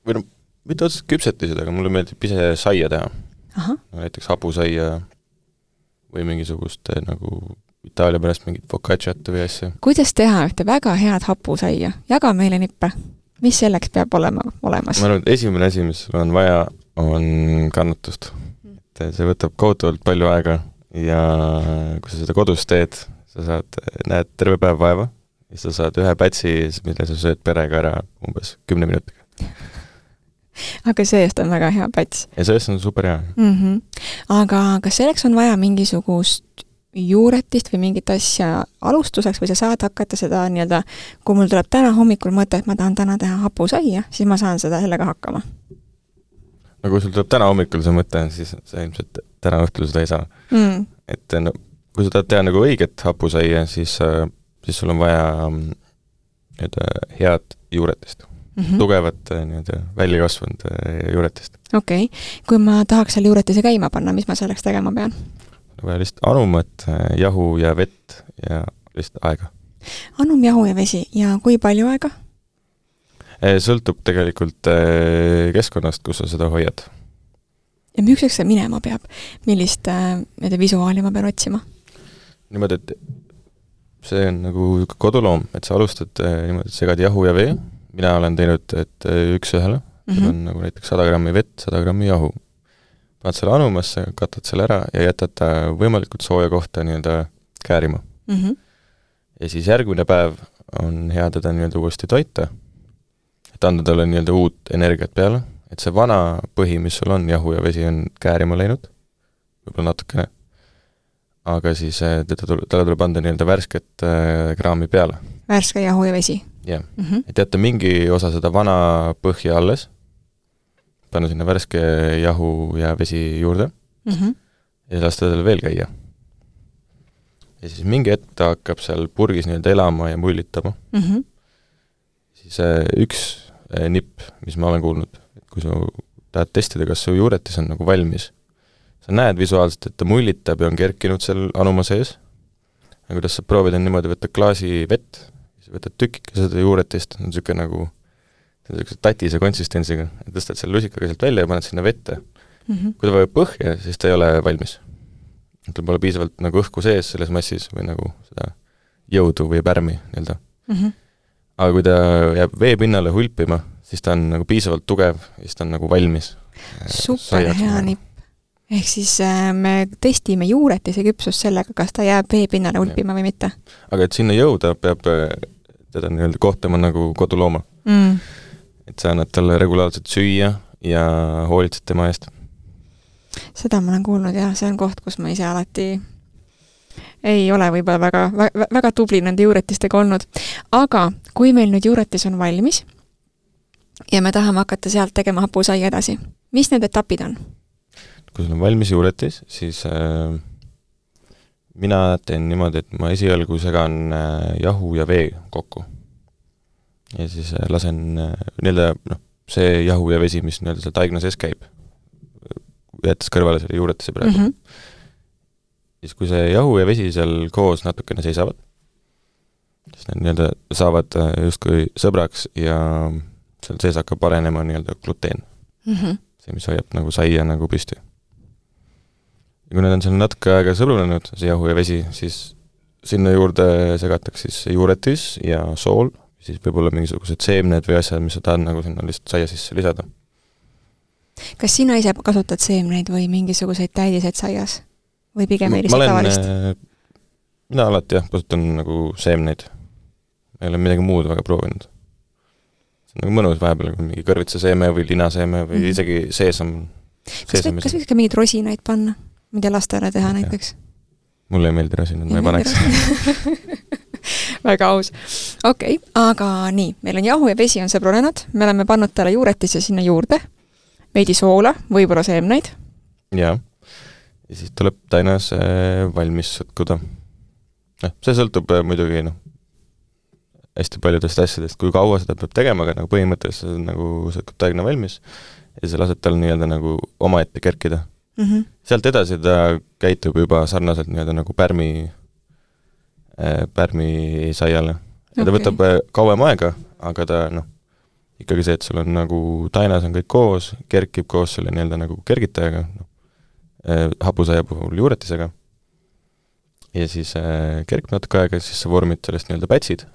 S2: Või no, mitte otseselt küpsetised, aga mulle meeldib ise saia teha.
S1: Aha.
S2: No, näiteks hapusaia või mingisugust nagu Itaalia pärast mingit focacciat või asja.
S1: Kuidas teha ühte väga head hapusaia? Jaga meile nippe. Mis selleks peab olema olemas?
S2: Ma arvan, et esimene asi, mis sul on vaja, on kannatust. Et see võtab kohutavalt palju aega ja kui sa seda kodus teed, sa saad, näed terve päev vaeva ja sa saad ühe pätsi, mille sa sööd perega ära umbes kümne minutiga.
S1: Aga seest on väga hea päts.
S2: Ja seest on super hea.
S1: Mm -hmm. Aga kas selleks on vaja mingisugust juuretist või mingit asja alustuseks või sa saad hakata seda nii-öelda, kui mul tuleb täna hommikul mõte, et ma tahan täna teha hapusaia, siis ma saan seda sellega hakkama?
S2: No kui sul tuleb täna hommikul see mõte, siis sa ilmselt täna õhtul seda ei saa. Mm. Et no, kui sa tahad teha nagu õiget hapusaia, siis, siis sul on vaja nii-öelda head juuretist. Mm -hmm. Tugevat nii-öelda välja kasvanud juuretist.
S1: Okei. Okay. Kui ma tahaks selle juuretise käima panna, mis ma selleks tegema pean?
S2: Vaja lihtsalt anumat, jahu ja vett ja lihtsalt aega.
S1: Anum, jahu ja vesi. Ja kui palju aega?
S2: Sõltub tegelikult keskkonnast, kus sa seda hoiad.
S1: Ja müükseks see minema peab? Millist äh, visuaali ma pean otsima?
S2: Niimoodi, et see on nagu koduloom, et sa alustad niimoodi, et segad jahu ja vee. Mina olen teinud, et üks ühele. Mm -hmm. on nagu näiteks sada grammi vett, sada grammi jahu. Paned selle anumasse, katad selle ära ja jätad ta võimalikult sooja kohta nii-öelda käärima. Mm -hmm. Ja siis järgmine päev on hea teda nii-öelda uuesti toita, et anda talle nii-öelda uut energiat peale, et see vana põhi, mis sul on, jahu ja vesi on käärima läinud, võib-olla natukene, aga siis teda tuleb, talle tuleb anda nii-öelda värsket äh, kraami peale.
S1: Värske jahu ja vesi?
S2: Jah, mm -hmm. et jätta mingi osa seda vana põhja alles, panna sinna värske jahu ja vesi juurde mm -hmm. ja lasta tal veel käia. Ja siis mingi hetk ta hakkab seal purgis nii-öelda elama ja mullitama. Mm -hmm. Siis äh, üks äh, nipp, mis ma olen kuulnud, et kui sa tahad testida, kas su juuretis on nagu valmis, sa näed visuaalselt, et ta mullitab ja on kerkinud seal anuma sees, ja kuidas sa proovid on niimoodi võtta klaasi vett, siis võtad tükike seda juuretist, on niisugune nagu tatise konsistentsiga, tõstad selle lusikaga sealt välja ja paned sinna vette. Mm -hmm. Kui ta vajab põhja, siis ta ei ole valmis. Tal pole piisavalt nagu õhku sees selles massis või nagu seda jõudu või pärmi nii-öelda. Mm -hmm. Aga kui ta jääb vee pinnale hulpima, siis ta on nagu piisavalt tugev ja siis ta on nagu valmis.
S1: Super hea nipp. Ehk siis äh, me testime juuretise küpsust sellega, kas ta jääb vee pinnale hulpima või mitte.
S2: Aga et sinna jõuda, peab teda nii-öelda kohtama nagu kodulooma. Mm. Et sa annad talle regulaarselt süüa ja hoolitsed tema eest.
S1: Seda ma olen kuulnud ja see on koht, kus ma ise alati ei ole võib-olla väga, väga, väga tubli nende juuretistega olnud. Aga kui meil nüüd juuretis on valmis ja me tahame hakata sealt tegema hapusaia edasi, mis need etapid on?
S2: Kui sul on valmis juuretis, siis äh, mina teen niimoodi, et ma esialgu segan äh, jahu ja vee kokku. Ja siis äh, lasen äh, nii-öelda, noh, see jahu ja vesi, mis nii-öelda seal taigna sees käib, jättes kõrvale selle juuretise praegu. Mm -hmm. Siis kui see jahu ja vesi seal koos natukene seisavad, siis need nii-öelda saavad äh, justkui sõbraks ja seal sees hakkab arenema nii-öelda gluteen. Mm -hmm. See, mis hoiab nagu saia nagu püsti. Ja kui need on seal natuke aega sõbrunenud, see jahu ja vesi, siis sinna juurde segatakse siis juuretis ja sool, siis võib-olla mingisugused seemned või asjad, mis sa tahad nagu sinna lihtsalt saia sisse lisada.
S1: Kas sina ise kasutad seemneid või mingisuguseid täidiseid saias? Või pigem ei lihtsalt tavalist?
S2: Mina alati jah, kasutan nagu seemneid. Ma ei ole midagi muud väga proovinud. See on nagu mõnus vahepeal, kui mingi kõrvitsaseeme või linaseeme või mm. isegi seesam.
S1: Kas, või, kas võiks ka mingeid rosinaid panna? Mida lastele teha okay. näiteks?
S2: Mulle ei meeldi rosinad, ma ei paneks.
S1: Väga aus. Okei, okay, aga nii, meil on jahu ja vesi on sõbrunenud, me oleme pannud talle juuretisse sinna juurde, veidi soola, võib-olla seemneid.
S2: Jaa, ja siis tuleb tainas valmis sõtkuda. No, see sõltub muidugi no, hästi paljudest asjadest, kui kaua seda peab tegema, aga nagu põhimõtteliselt nagu sõtkub taigna valmis ja sa lased tal nii-öelda nagu omaette kerkida.
S1: Mm-hmm.
S2: Sealt edasi ta käitub juba sarnaselt nii-öelda nagu pärmi, pärmi saiale. Ja ta okay. võtab kauem aega, aga ta noh, ikkagi see, et sul on nagu tainas on kõik koos, kerkib koos selle nii-öelda nagu kergitajaga, no, hapusaia puhul juuretisega. Ja siis äh, kerkib natuke aega, siis sa vormid sellest nii-öelda pätsid.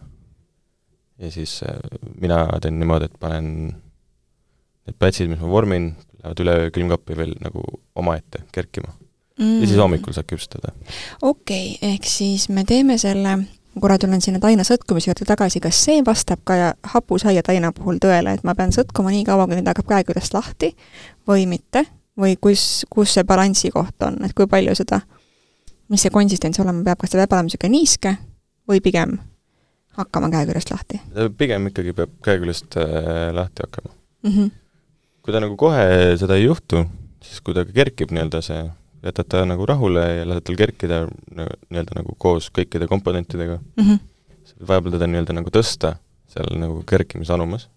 S2: Ja siis äh, mina teen niimoodi, et panen need pätsid, mis ma vormin, lähevad üle külmkappi veel nagu omaette kerkima. Mm. Ja siis hommikul saab küpsetada.
S1: Okei, okay, ehk siis me teeme selle, korra tulen sinna taina sõtkumise juurde tagasi, kas see vastab ka hapusaia taina puhul tõele, et ma pean sõtkuma nii kaua, kui nüüd hakkab käeküljest lahti või mitte, või kus, kus see balansi koht on, et kui palju seda, mis see konsistents olema peab, kas ta peab olema niisugune niiske või pigem hakkama käeküljest lahti?
S2: Pigem ikkagi peab käeküljest äh, lahti hakkama.
S1: Mm-hmm.
S2: Kui ta nagu kohe seda ei juhtu, siis kui ta kerkib nii-öelda see, jätad ta nagu rahule ja lased tal kerkida nii-öelda nagu koos kõikide komponentidega.
S1: Mm-hmm.
S2: Vahepeal teda nii-öelda nagu tõsta seal nagu kerkimisanumas.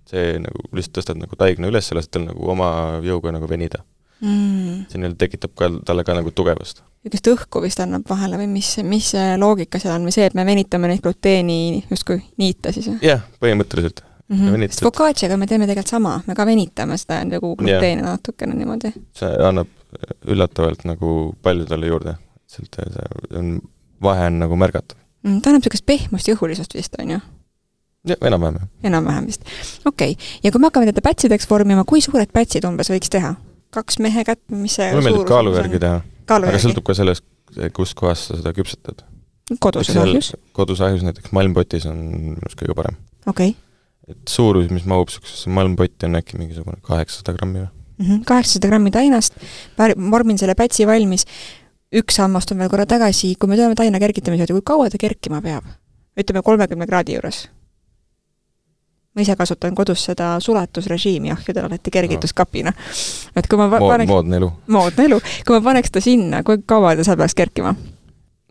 S2: See nagu lihtsalt tõstad nagu taigna üles ja lased tal nagu oma jõuga nagu venida.
S1: Mm.
S2: See nii-öelda tekitab ka, talle ka nagu tugevust.
S1: Ükest õhku vist annab vahele või mis, mis loogika seal on või see, et me venitame neid gluteeni justkui niita siis?
S2: Jah, põhimõtteliselt.
S1: Mm-hmm. Sest focacciaga me teeme tegelikult sama, me ka venitame seda nagu gluteeni yeah. natukene niimoodi.
S2: See annab üllatavalt nagu palju talle juurde. See on, vahe on nagu märgatav.
S1: Mm, ta annab sellist pehmust ja õhulisust vist, on ju?
S2: Ja, enam-vähem.
S1: Enam-vähem vist. Okei. Okay. Ja kui me hakkame teda pätsideks vormima, kui suured pätsid umbes võiks teha? Kaks mehe kätt, mis see
S2: mulle meeldib kaalu järgi teha.
S1: Kaalu
S2: aga
S1: järgi.
S2: sõltub ka sellest, kus kohas sa seda küpsetad.
S1: Kodus ahjus?
S2: Kodus ahjus näiteks malmpotis on minust kõige parem.
S1: Okei. Okay.
S2: Et suurus, mis mahub suksesse malmpotti on äkki mingisugune kaheksasada grammi või?
S1: Mm-hmm. kaheksasada grammi tainast, vormin selle pätsi valmis, üks sammast on veel korra tagasi, kui me tuleme taina kergitamise, kui kaua ta kerkima peab? Ütleme kolmekümne kraadi juures. Ma ise kasutan kodus seda sulatusrežiimi ahjudel alati kergituskapina. Et kui ma paneks,
S2: moodne elu.
S1: Moodne elu. Kui ma paneks ta sinna, kui kaua ta saab peaks kerkima?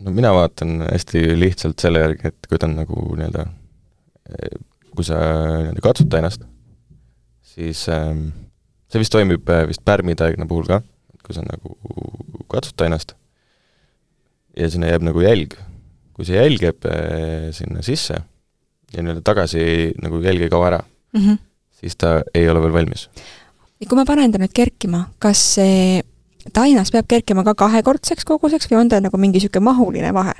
S2: No mina vaatan hästi lihtsalt selle järgi, et kui ta on nagu nii-öelda kui sa katsud tainast, siis ähm, see vist toimib vist pärmitaigna puhul ka, kui sa nagu katsud tainast ja sinna jääb nagu jälg. Kui see jälg jääb äh, sinna sisse ja nii-öelda tagasi nagu jälg ei kao ära,
S1: mm-hmm.
S2: siis ta ei ole veel valmis.
S1: Ja kui ma panen ta nüüd kerkima, kas see tainas peab kerkima ka kahekordseks koguseks või on ta nagu mingi siuke mahuline vahe?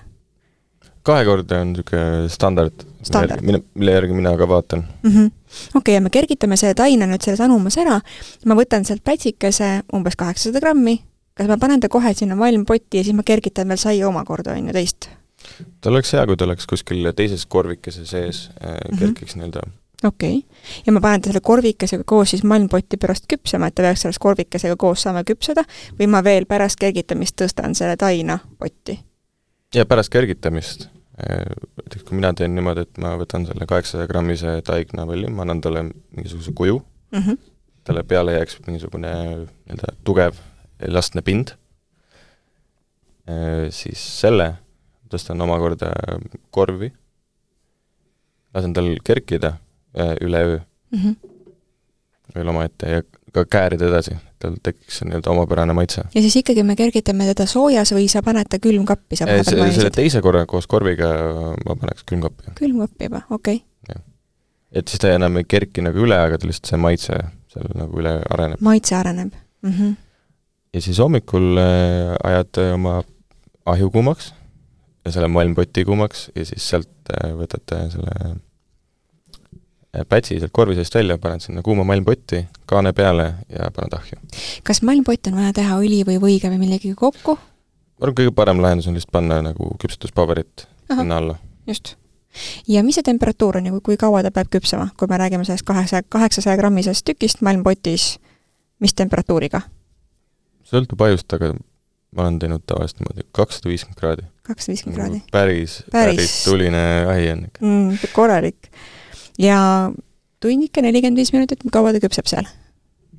S2: Kahekordne on niisugune standard,
S1: standard.
S2: Mille, mille järgi mina ka vaatan.
S1: Mm-hmm. Okei, okay, ja me kergitame selle taina nüüd selles anumas ära, ma võtan sealt pätsikese umbes kaheksasada grammi, kas ma panen ta kohe sinna valmpotti ja siis ma kergitan veel saia omakorda on ju teist?
S2: Ta oleks hea, kui ta oleks kuskil teises korvikese sees äh, kerkiks mm-hmm. nii-öelda.
S1: Okei, okay. Ja ma panen ta selle korvikesega koos siis malmpotti pärast küpsema, et ta peaks selles korvikesega koos saama küpseda või ma veel pärast kergitamist tõstan selle taina potti?
S2: Ja pärast kergitamist, kui mina teen niimoodi, et ma võtan selle kaheksasada grammise taigna valli, ma annan talle mingisuguse kuju,
S1: mm-hmm.
S2: talle peale jääks mingisugune nii-öelda tugev elastne pind, siis selle tõstan omakorda korvi, lasen tal kerkida üle öö
S1: mm-hmm.
S2: veel oma ette ja ka käärida edasi, tal tekiks nii-öelda omapärane maitse.
S1: Ja siis ikkagi me kergitame teda soojas või sa paned ta külmkappi? Sa
S2: see, selle teise korra koos korviga ma paneks külmkappi.
S1: Külmkappi juba, okei.
S2: Okay. Et siis ta enam ei kerki nagu üle, aga ta lihtsalt see maitse seal nagu üle areneb.
S1: Maitse areneb. Mm-hmm.
S2: Ja siis hommikul ajad oma ahju kuumaks ja selle malmpoti kuumaks ja siis sealt võtate selle pätsi sealt korvi seest välja, paned sinna kuuma malmpotti, kaane peale ja paned ahju.
S1: Kas malmpott on vaja teha õli või võiga või millegi kokku?
S2: Ma arvan, kõige parem lahendus on lihtsalt panna nagu küpsetuspaberit sinna alla.
S1: Just. Ja mis see temperatuur on ja kui, kui kaua ta peab küpsema, kui me räägime sellest kaheksasaja grammisest tükist malmpotis, mis temperatuuriga?
S2: Sõltub ajust, aga ma olen teinud tavaliselt niimoodi kakssada viiskümmend kraadi.
S1: kakssada viiskümmend kraadi?
S2: Päris, päris, päris tuline ahi on ikka.
S1: Mm, korralik. Ja tunnike nelikümmend viis minutit, kaua ta küpseb seal?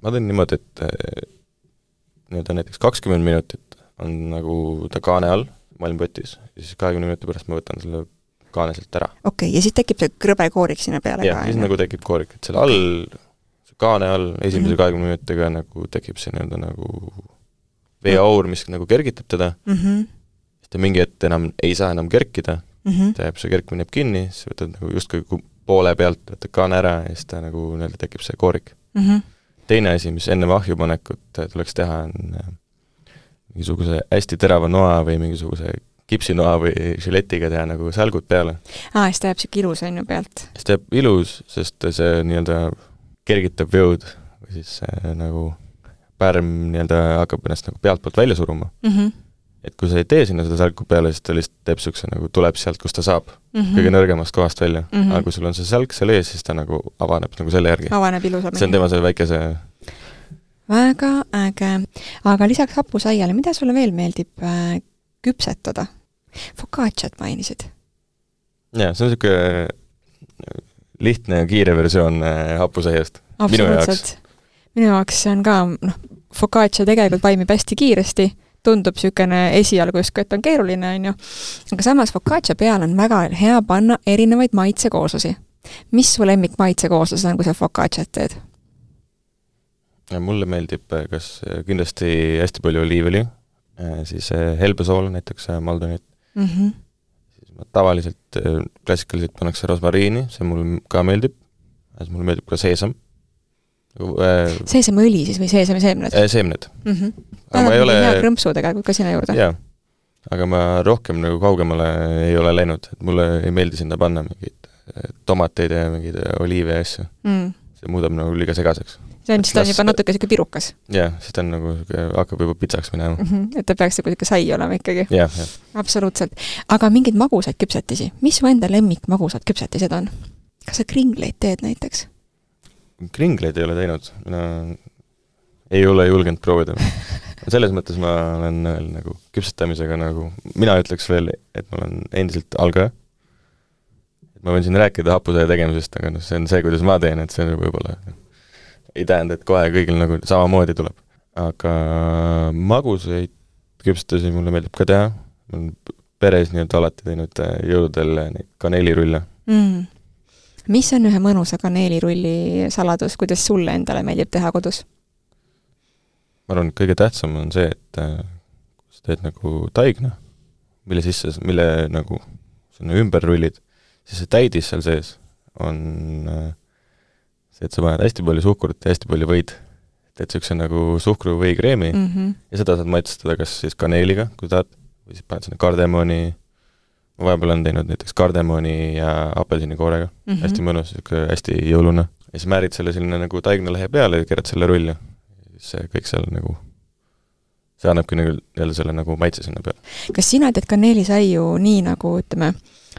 S2: Ma teen niimoodi, et nii-öelda näiteks kakskümmend minutit on nagu ta kaane all malmpotis ja siis kahekümne minuti pärast ma võtan selle kaane sealt ära.
S1: Okei, okay, ja siis tekib see krõbe koorik sinna peale
S2: ja, ka? Ja, siis nagu tekib koorik, et selle okay. all, kaane all esimese mm-hmm. kahekümne minutiga nagu tekib see nii-öelda nagu veeaur, mis nagu kergitab teda,
S1: mm -hmm.
S2: siis ta mingi hetk enam ei saa enam kerkida,
S1: mm -hmm.
S2: ta jääb, see kerkmine jääb kinni, siis võtad nagu justkui poole pealt, võtad kaane ära ja siis ta nagu nii-öelda tekib see koorik.
S1: Mm -hmm.
S2: Teine asi, mis enne ahju panekut tuleks teha, on mingisuguse hästi terava noa või mingisuguse kipsinoa või žiletiga teha nagu sälgud peale.
S1: Aa, siis ta jääb siuke ilus on ju pealt.
S2: Siis ta jääb ilus, sest see nii-öelda kergitab jõud või siis see, nagu pärm nii-öelda hakkab ennast nagu pealt poolt välja suruma. Mm -hmm. Et kui sa ei tee sinna seda sälgu peale, siis ta lihtsalt teeb siukse nagu tuleb sealt, kus ta saab mm -hmm. kõige nõrgemast kohast välja. Mm -hmm. Aga kui sul on see sälg seal ees, siis ta nagu avaneb nagu selle järgi.
S1: Avaneb ilusamini.
S2: See on tema see väikese...
S1: Väga äge. Aga lisaks hapusaiale, mida sulle veel meeldib äh, küpsetada? Focacciat mainisid.
S2: Jaa, see on siuke lihtne ja kiire versioon äh, hapusaiast.
S1: Minu jaoks. Minu jaoks see on ka, noh, focaccia tegelikult vaimib hästi kiiresti, tundub niisugune esialgu justkui, et on keeruline, on ju. Aga samas focaccia peal on väga hea panna erinevaid maitsekooslusi. Mis su lemmik maitsekooslused on, kui sa focacciat teed?
S2: Ja mulle meeldib kas kindlasti hästi palju oliivõli, siis helbesool, näiteks Maldonit. Mm -hmm. Siis ma tavaliselt klassikaliselt pannakse rosmariini, see mulle ka meeldib. Siis mulle meeldib ka seesam.
S1: Seesamõli siis või seesami seemned?
S2: Seemned.
S1: Mm -hmm. Aga ma ei ole... hea krõmpsu tegelikult ka sinna juurde.
S2: Jaa, aga ma rohkem nagu kaugemale ei ole läinud, et mulle ei meeldi sinna panna mingeid tomateid ja mingeid oliive ja asju. Mm. See muudab nagu liiga segaseks.
S1: See on, siis ta on juba natuke siuke pirukas.
S2: Jah, siis ta on nagu, hakkab juba pitsaks minema. Mm
S1: -hmm. Et ta peaks siuke sai olema ikkagi.
S2: Jah, jah.
S1: Absoluutselt. Aga mingid magusaid küpsetisi? Mis su enda lemmik magusad küpsetised on? Kas sa kringleid teed näiteks?
S2: Kringleid ei ole teinud. Mina ei ole julgenud proovida. Selles mõttes ma olen nagu küpsetamisega nagu, mina ütleks veel, et ma olen endiselt algaja. Ma võin siin rääkida hapusaia tegemisest, aga noh, see on see, kuidas ma teen, et see võib-olla ei tähenda, et kohe kõigil nagu samamoodi tuleb. Aga magusaid küpsetasi mulle meeldib ka teha. Ma olen peres nii-öelda alati teinud jõuludel neid kaneelirulle. Mm.
S1: Mis on ühe mõnusa kaneelirulli saladus, kuidas sulle endale meeldib teha kodus?
S2: Ma arvan, et kõige tähtsam on see, et kui sa teed nagu taigna, mille sisse, mille nagu sinna ümber rullid, siis see täidis seal sees on see, et sa paned hästi palju suhkrut ja hästi palju võid. Teed siukse nagu suhkru või kreemi mm -hmm. ja seda saad maitsestada kas siis kaneeliga, kui tahad, või siis paned sinna kardemoni. Ma vahepeal olen teinud näiteks kardemoni ja apelsinikoorega. Mm -hmm. Hästi mõnus, siuke hästi jõulune. Ja siis määrid selle selline nagu taignalehe peale ja keerad selle rulli. See kõik seal nagu, see annabki nagu jälle selle nagu maitse sinna peale.
S1: Kas sina teed kaneelisaiu nii nagu, ütleme,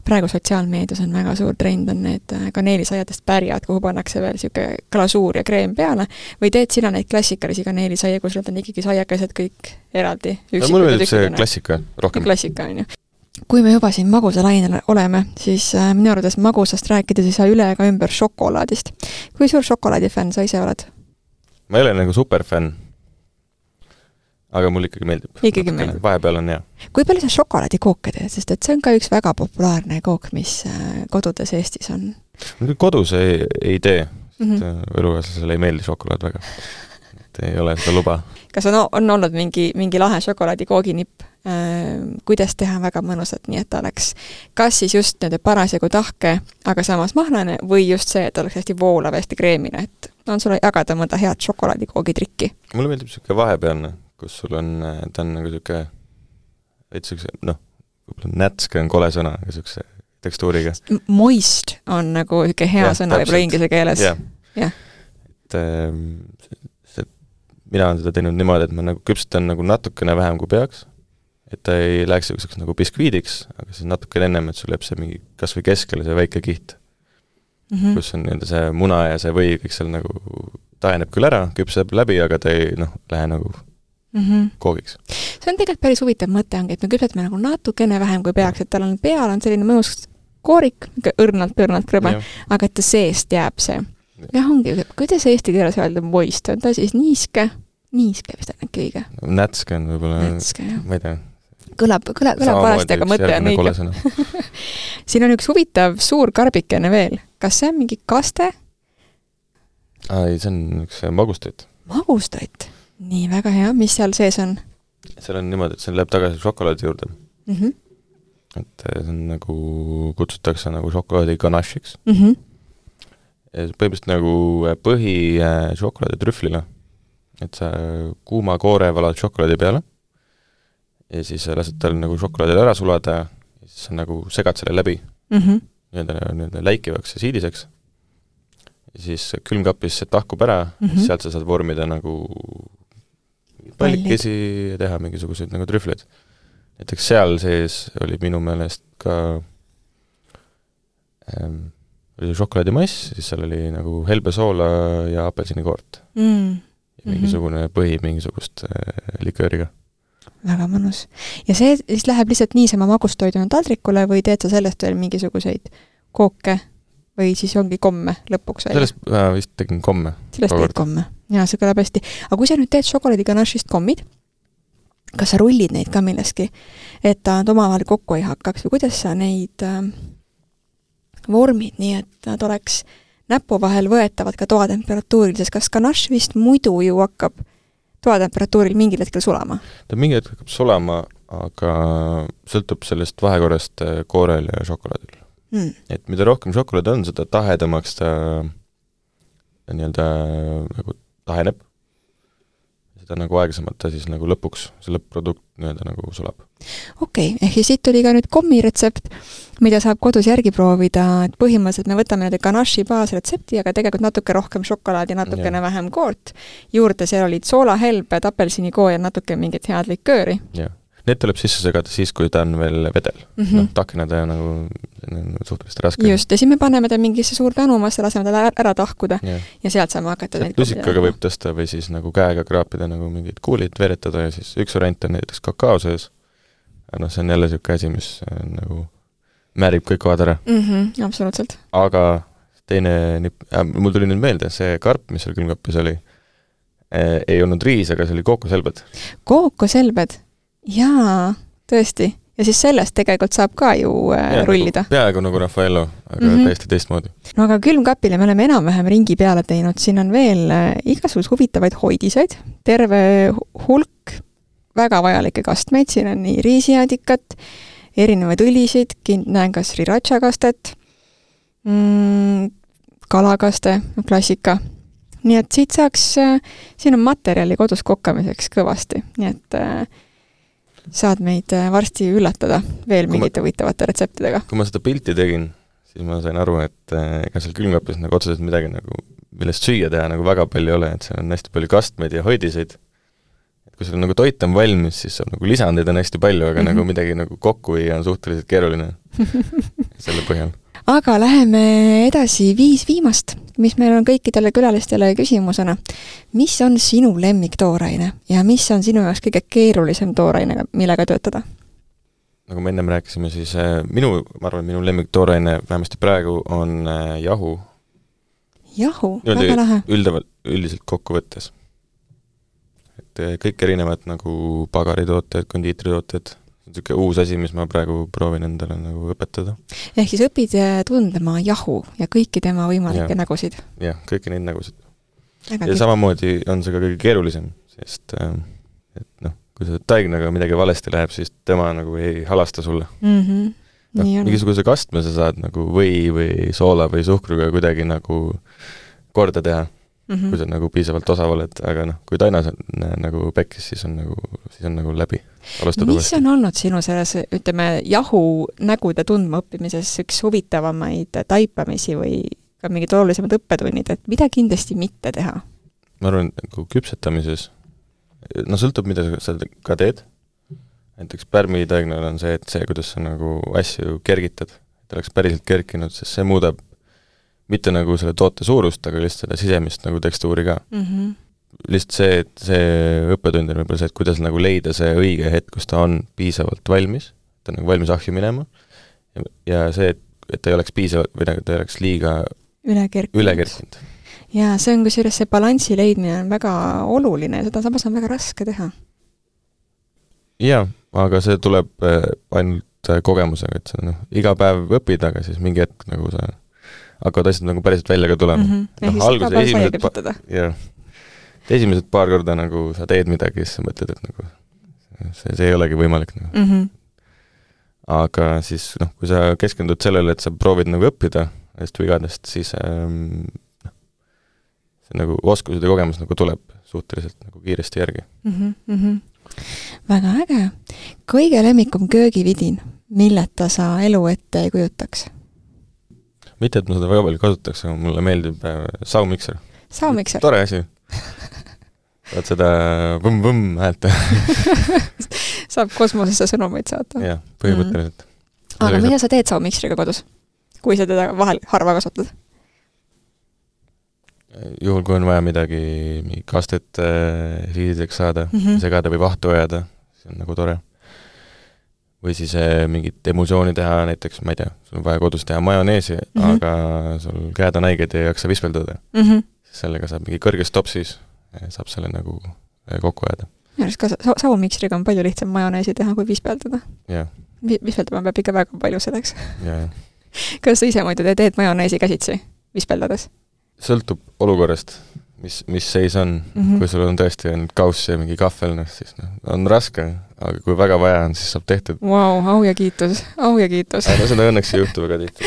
S1: praegu sotsiaalmeedias on väga suur trend, on need kaneelisaiadest pärjad, kuhu pannakse veel siuke glasuur ja kreem peale, või teed sina neid klassikalisi kaneelisaia, kus nad on ikkagi saiakesed kõik eraldi?
S2: No, mulle meeldib see klassika rohkem.
S1: Klassika, on ju. Kui me juba siin magusa lainel oleme, siis minu arvates magusast rääkides ei saa üle ega ümber šokolaadist. Kui suur šokolaadifänn sa ise oled?
S2: Ma ei ole nagu superfänn, aga mul ikkagi meeldib.
S1: Ikkagi meeldib.
S2: Vahepeal on hea.
S1: Kui palju sa šokolaadikooke teed, sest et see on ka üks väga populaarne kook, mis kodudes Eestis on?
S2: Kodus ei, ei tee, sest mm -hmm. elukaaslasele ei meeldi šokolaad väga. Et ei ole seda luba.
S1: Kas on, on olnud mingi, mingi lahe šokolaadikooginipp? Kuidas teha väga mõnusat, nii et ta oleks kas siis just nende parasjagu tahke, aga samas mahlane, või just see, et oleks hästi voolav, hästi kreemine, et on sulle jagada mõnda head šokolaadikoogitrikki?
S2: Mulle meeldib siuke vahepealne, kus sul on, ta on nagu siuke, et siukse, noh, nätske on kole sõna, aga siukse tekstuuriga.
S1: Moist on nagu siuke hea ja, sõna võib-olla inglise keeles.
S2: jah, ja. Et see, mina olen seda teinud niimoodi, et ma nagu küpsetan nagu natukene vähem kui peaks, et ta ei läheks siukseks nagu biskviidiks, aga siis natuke ennem, et sul jääb see mingi kas või keskele see väike kiht, mm -hmm. kus on nii-öelda see muna ja see või kõik seal nagu taeneb küll ära, küpseb läbi, aga ta ei, noh, lähe nagu mm -hmm. koogiks.
S1: See on tegelikult päris huvitav mõte ongi, et me küpsetame nagu natukene vähem kui peaks, et tal on peal on selline mõnus koorik, õrnalt-õrnalt krõbe, aga et ta seest jääb see. jah, ongi, kuidas eesti keeles öelda moist, on ta siis niiske? Niiske vist on äkki õige.
S2: Nätske on võib-olla, ma ei tea.
S1: Kõlab, kõlab, kõlab parasti, aga mõte on õige. Siin on üks huvitav suur karbikene veel. Kas see on mingi kaste?
S2: Ai, see on üks magustoit.
S1: Magustoit? Nii, väga hea. Mis seal sees on?
S2: seal on niimoodi, et see läheb tagasi šokolaadi juurde.
S1: Mm -hmm.
S2: et see on nagu, kutsutakse nagu šokolaadi ganache'iks.
S1: Mm -hmm.
S2: põhimõtteliselt nagu põhi šokolaadi trühvlile. Et sa kuuma koore valad šokolaadi peale ja siis lased tal nagu šokolaadile ära sulada ja siis sa nagu segad selle läbi
S1: mm -hmm.
S2: nii-öelda, nii-öelda läikivaks ja siidiseks. Ja siis külmkapis see tahkub ära mm, -hmm. sealt sa saad vormida nagu pallikesi ja teha mingisuguseid nagu trühvleid. Näiteks seal sees oli minu meelest ka ähm, oli šokolaadimass, siis seal oli nagu helbesoola ja apelsinikoort.
S1: Mm.
S2: Ja mingisugune mm -hmm. põhi mingisugust äh, likööriga.
S1: Väga mõnus. Ja see siis läheb lihtsalt niisama magustoiduna taldrikule või teed sa sellest veel mingisuguseid kooke või siis ongi komme lõpuks välja?
S2: Sellest äh, vist tegin komme.
S1: Sellest teed komme. Jaa, see kõlab hästi. Aga kui sa nüüd teed šokolaadi ganache'ist kommid, kas sa rullid neid ka milleski, et nad omavahel kokku ei hakkaks või kuidas sa neid äh, vormid nii, et nad oleks näpu vahel võetavad ka toatemperatuuril, sest kas ganache vist muidu ju hakkab toatemperatuuril mingil hetkel sulama? Ta
S2: mingi hetkel hakkab sulama, aga sõltub sellest vahekorrast koorel ja šokolaadil. Hmm. Et mida rohkem šokolaad on, seda tahedamaks ta nii-öelda nagu taheneb. Seda nagu aeglasemalt ta siis nagu lõpuks, see lõpp-produkt nii-öelda nagu sulab.
S1: Okei, okay, ehk siit tuli ka nüüd kommi retsept, mida saab kodus järgi proovida, et põhimõtteliselt me võtame nüüd ganache'i baasretsepti, aga tegelikult natuke rohkem šokolaadi, natukene ja. vähem koort. Juurde seal olid soolahelbed, apelsinikoo ja natuke mingit head likööri.
S2: Jah. Need tuleb sisse segada siis, kui ta on veel vedel. Mm -hmm. No, takinada ja nagu suhteliselt raske.
S1: Just, ja siis me paneme ta mingisse suur tänumasse, laseme tal ära tahkuda ja, ja sealt saame hakata
S2: neid lusikaga võib tõsta või siis nagu käega kraapida nagu mingid kuulid veretada ja siis üks variant on näiteks kakao sees. No see on jälle niisugune asi, mis nagu määrib kõik kohad ära.
S1: Mm -hmm, absoluutselt.
S2: Aga teine, äh, mul tuli nüüd meelde, see karp, mis seal külmkapis oli, äh, ei olnud riis, aga see oli kookoselbed.
S1: Kookoselbed? Jaa, tõesti. Ja siis sellest tegelikult saab ka ju äh, ja, rullida.
S2: Nagu, peaaegu nagu Raffaello, aga mm -hmm. täiesti teistmoodi.
S1: No aga külmkapile me oleme enam-vähem ringi peale teinud. Siin on veel äh, igasugused huvitavaid hoidiseid, terve hulk väga vajalikke kastmeid. Siin on nii riisiadikat, erinevaid õlisid, näen ka sriracha kastet, mm, kalakaste, klassika. Nii et siit saaks, äh, siin on materjali kodus kokkamiseks kõvasti. Nii et äh, saad meid varsti üllatada veel mingite huvitavate retseptidega.
S2: Kui ma seda pilti tegin, siis ma sain aru, et ega seal külmkapis nagu otseselt midagi nagu, millest süüa teha nagu väga palju ei ole, et seal on hästi palju kastmeid ja hoidiseid. Et kui sul nagu toit on valmis, siis on nagu lisandeid on hästi palju, aga mm -hmm. nagu midagi nagu kokku ei on suhteliselt keeruline selle põhjal.
S1: Aga läheme edasi viis viimast, mis meil on kõikidele külalistele küsimusena. Mis on sinu lemmiktooraine ja mis on sinu jaoks kõige keerulisem tooraine, millega töötada?
S2: Nagu me ennem rääkisime, siis minu, ma arvan, minu lemmiktooraine vähemasti praegu on jahu.
S1: Jahu, väga lahe.
S2: Üldavalt, üldiselt kokku võttes. Et kõik erinevad nagu pagaritooted, kondiitritooted, niisugune uus asi, mis ma praegu proovin endale nagu õpetada.
S1: Ehk siis õpid tundma jahu ja kõiki tema võimalikke ja. nägusid.
S2: Jah, kõiki neid nägusid. Väga ja kõik. Samamoodi on see ka kõige keerulisem, sest et noh, kui see taignaga midagi valesti läheb, siis tema nagu ei halasta sulle.
S1: Mm -hmm.
S2: no, mingisuguse kastme sa saad nagu või, või soola või suhkruga kuidagi nagu korda teha. Mm -hmm. kui sa nagu piisavalt osav oled, aga noh, kui tainas on nagu pekkis, siis on nagu, siis on nagu läbi. Alustada
S1: mis
S2: uuesti.
S1: On olnud sinu selles, ütleme, jahu nägude tundma õppimises üks huvitavamaid taipamisi või ka mingid olulisemad õppetunnid, et mida kindlasti mitte teha?
S2: Ma arvan, nagu küpsetamises, no sõltub, mida sa ka teed. Näiteks pärmitaignal on see, et see, kuidas sa nagu asju kergitad, et oleks päriselt kerkinud, sest see muudab mitte nagu selle toote suurust, aga lihtsalt seda sisemist nagu tekstuuri ka. Mm -hmm. Lihtsalt see, et see õppetund on võib-olla see, et kuidas nagu leida see õige hetk, kus ta on piisavalt valmis, ta on nagu valmis ahju minema, ja, ja see, et, et ta ei oleks piisavalt, või ta ei oleks liiga üle kerkinud.
S1: Jaa, see on kusjuures see balansi leidmine on väga oluline ja seda samas on väga raske teha.
S2: Jaa, aga see tuleb ainult kogemusega, et sa noh, iga päev õpid, aga siis mingi hetk nagu sa hakkavad asjad nagu päriselt välja ka tulema. Mm
S1: -hmm. no, alguse esimesed,
S2: pa- jah, esimesed paar korda nagu sa teed midagi, siis sa mõtled, et nagu see, see ei olegi võimalik nagu.
S1: mm. -hmm.
S2: Aga siis, noh, kui sa keskendud sellele, et sa proovid nagu õppida nendest vigadest, siis ähm, see nagu oskused ja kogemus nagu tuleb suhteliselt nagu kiiresti järgi.
S1: Mm -hmm. Väga äge. Kõige lemmikum köögividin, milleta sa elu ette ei kujutaks?
S2: Mitte, et ma seda väga palju kasutaks, aga mulle meeldib äh, saumikser.
S1: Saumikser?
S2: Tore asi. Vaat seda võmm-võmm häält.
S1: Saab kosmosesse sõnumeid saata.
S2: Jah, põhimõtteliselt.
S1: Mm. Aga mida sa teed saumiksriga kodus, kui sa teda vahel harva kasutad?
S2: Juhul, kui on vaja midagi, mingi kastet äh, riidideks saada, mm -hmm. segada või vahtu ajada, see on nagu tore. Või siis äh, mingit emulsiooni teha, näiteks, ma ei tea, sul on vaja kodus teha majoneesi, mm -hmm. aga sul käed on haiged ja ei jaksa vispeldada. Mm -hmm. Sellega saab mingi kõrges topsis, saab selle nagu kokku ajada.
S1: Minu arust ka sa saumiksriga on palju lihtsam majoneesi teha, kui vispeldada.
S2: Yeah.
S1: Vispeldama peab ikka väga palju selleks.
S2: Yeah.
S1: Kas sa ise muidu teed majoneesi käsitsi vispeldades?
S2: Sõltub olukorrast, mis, mis seis on. Mm -hmm. Kui sul on tõesti ainult kauss ja mingi kahvel, no, siis no, on raske, aga kui väga vaja on, siis saab tehtud.
S1: Vau, wow, au ja kiitus, au ja kiitus.
S2: No seda õnneks ei juhtu väga tihti.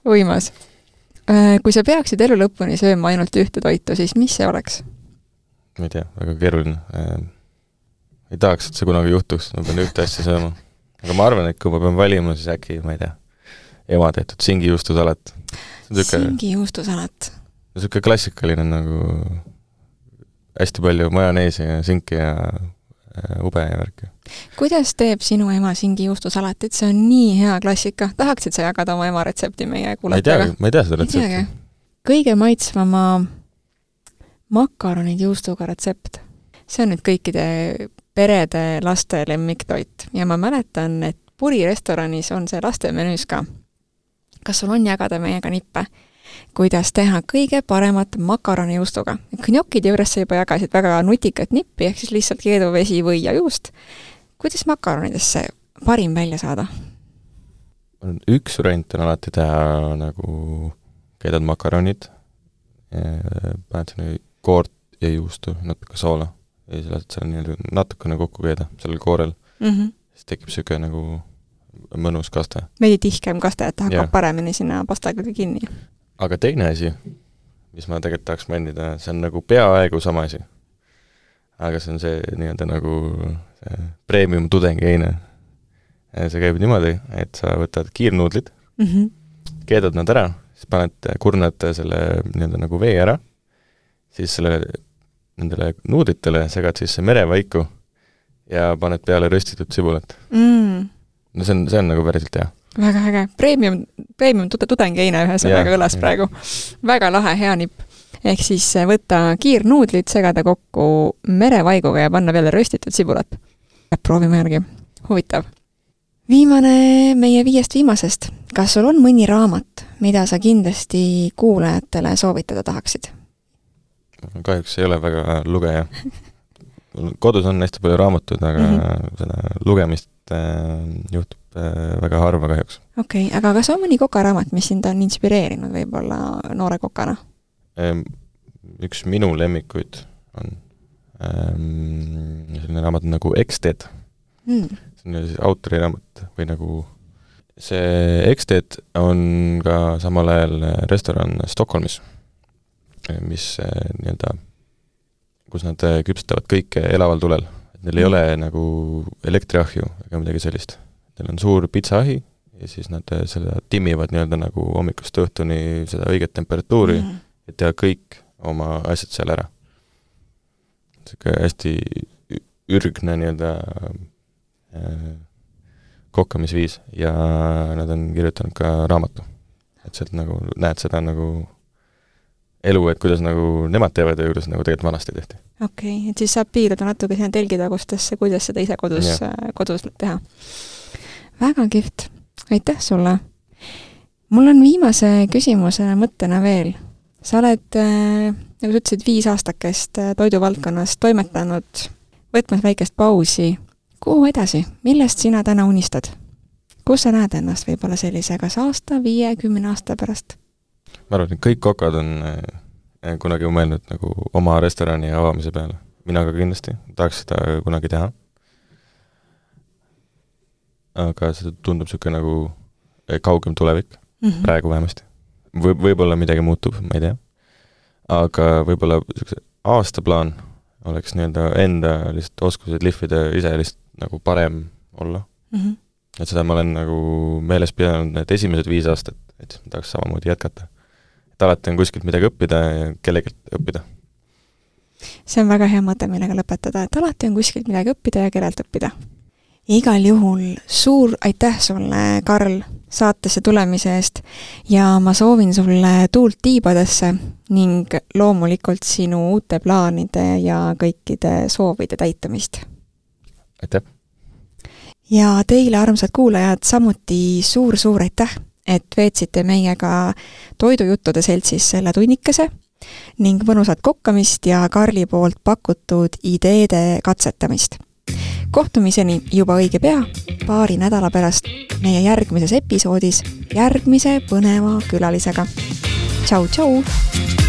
S1: Võimas. Kui sa peaksid elu lõpuni sööma ainult ühte toitu, siis mis see oleks?
S2: Ma ei tea, väga keeruline. Ei tahaks, et see kunagi juhtuks, ma pean ühte asja sööma. Aga ma arvan, et kui ma pean valima, siis äkki, ma ei tea, ema tehtud singijuustusalat.
S1: Singijuustusalat.
S2: Niisugune klassikaline nagu hästi palju majoneesi ja sinki ja ube ja värki.
S1: Kuidas teeb sinu ema singijuustusalatit? See on nii hea klassika. Tahaksid sa jagada oma ema retsepti meie kuulatajaga?
S2: Ma ei tea seda retsepti.
S1: Kõige maitsvama makaronid juustuga retsept. See on nüüd kõikide perede laste lemmiktoit. Ja ma mäletan, et Puri restoranis on see laste menüüs ka. Kas sul on jagada meiega nippe? Kuidas teha kõige paremat makaroni juustuga. Gnokide juures sa juba jagasid väga nutikat nippi, ehk siis lihtsalt keeduvesi või ja juust. Kuidas makaronidesse parim välja saada?
S2: Üks variant on alati teha nagu keedad makaronid, paned sinna koort ja juustu, natuke soola ja siis lased selle nii natukene kokku keeda sellel koorel. Mm -hmm. Siis tekib siuke nagu mõnus kaste.
S1: Veidi tihkem kaste, et hakkab yeah. paremini sinna pastaga kinni.
S2: Aga teine asi, mis ma tegelikult tahaks mändida, see on nagu peaaegu sama asi. Aga see on see nii-öelda nagu see premium tudengeine. See käib niimoodi, et sa võtad kiirnuudlid, mm -hmm. keedad nad ära, siis paned, kurnad selle nii-öelda nagu vee ära, siis selle, nendele nuudlitele segad sisse merevaiku ja paned peale röstitud sibulat. Mm. No see on, see on nagu päriselt hea.
S1: Väga äge. Premium, premium tudengeine ühe sõnaga kõlas ja. Praegu. Väga lahe, hea nipp. Ehk siis võtta kiirnuudlid, segada kokku merevaiguga ja panna peale röstitud sibulat. Proovime järgi. Huvitav. Viimane meie viiest viimasest. Kas sul on mõni raamat, mida sa kindlasti kuulajatele soovitada tahaksid?
S2: Kahjuks ei ole väga lugeja. Kodus on hästi palju raamatud, aga mm -hmm. seda lugemist äh, juhtub äh, väga harva kahjuks.
S1: Okei, okay, aga kas on mõni kokaraamat, mis sind on inspireerinud võib-olla noore kokana?
S2: Ähm, üks minu lemmikuid on ähm, selline raamat nagu Eksted. Mm. See on siis autori raamat või nagu see Eksted on ka samal ajal restoran Stockholmis, mis nii-öelda kus nad küpsetavad kõike elaval tulel. Et neil ei mm. ole nagu elektriahju ega midagi sellist. Neil on suur pitsaahi ja siis nad selle timmivad nii-öelda nagu hommikust õhtuni seda õiget temperatuuri, mm. et teha kõik oma asjad seal ära. Selline hästi ürgne nii-öelda äh, kokkamisviis ja nad on kirjutanud ka raamatu. Et sealt nagu näed seda nagu elu, et kuidas nagu nemad teevad ja kuidas nagu tegelikult vanasti tehti.
S1: Okei, okay, et siis saab piirduda natuke sinna telgitagustesse, kuidas seda ise kodus, kodus teha. Väga kihvt. Aitäh sulle. Mul on viimase küsimusena mõttena veel. Sa oled, nagu sa ütlesid, viis aastakest toiduvaldkonnas toimetanud, võtmas väikest pausi. Kuhu edasi? Millest sina täna unistad? Kus sa näed ennast võib-olla sellise kas aasta, viie, kümne aasta pärast?
S2: Ma arvan, et kõik kokad on äh, kunagi mõelnud nagu oma restorani avamise peale. Mina ka kindlasti tahaks seda kunagi teha. aga see tundub niisugune nagu kaugem tulevik mm, -hmm. praegu vähemasti. Või, võib-olla midagi muutub, ma ei tea. Aga võib-olla aastaplaan oleks nii-öelda enda lihtsalt oskused lihvida ise lihtsalt nagu parem olla. Mm -hmm. Et seda ma olen nagu meeles pidanud need esimesed viis aastat, et ma tahaks samamoodi jätkata. Et alati on kuskilt midagi õppida ja kellegelt õppida.
S1: See on väga hea mõte, millega lõpetada, et alati on kuskilt midagi õppida ja kellelt õppida. Igal juhul suur aitäh sulle, Karl, saatesse tulemise eest ja ma soovin sulle tuult tiibadesse ning loomulikult sinu uute plaanide ja kõikide soovide täitumist.
S2: Aitäh!
S1: Ja teile, armsad kuulajad, samuti suur-suur aitäh, et veetsite meiega toidujuttude seltsis selle tunnikese ning mõnusat kokkamist ja Karli poolt pakutud ideede katsetamist. Kohtumiseni juba õige pea, paari nädala pärast meie järgmises episoodis järgmise põneva külalisega. Tšau, tšau!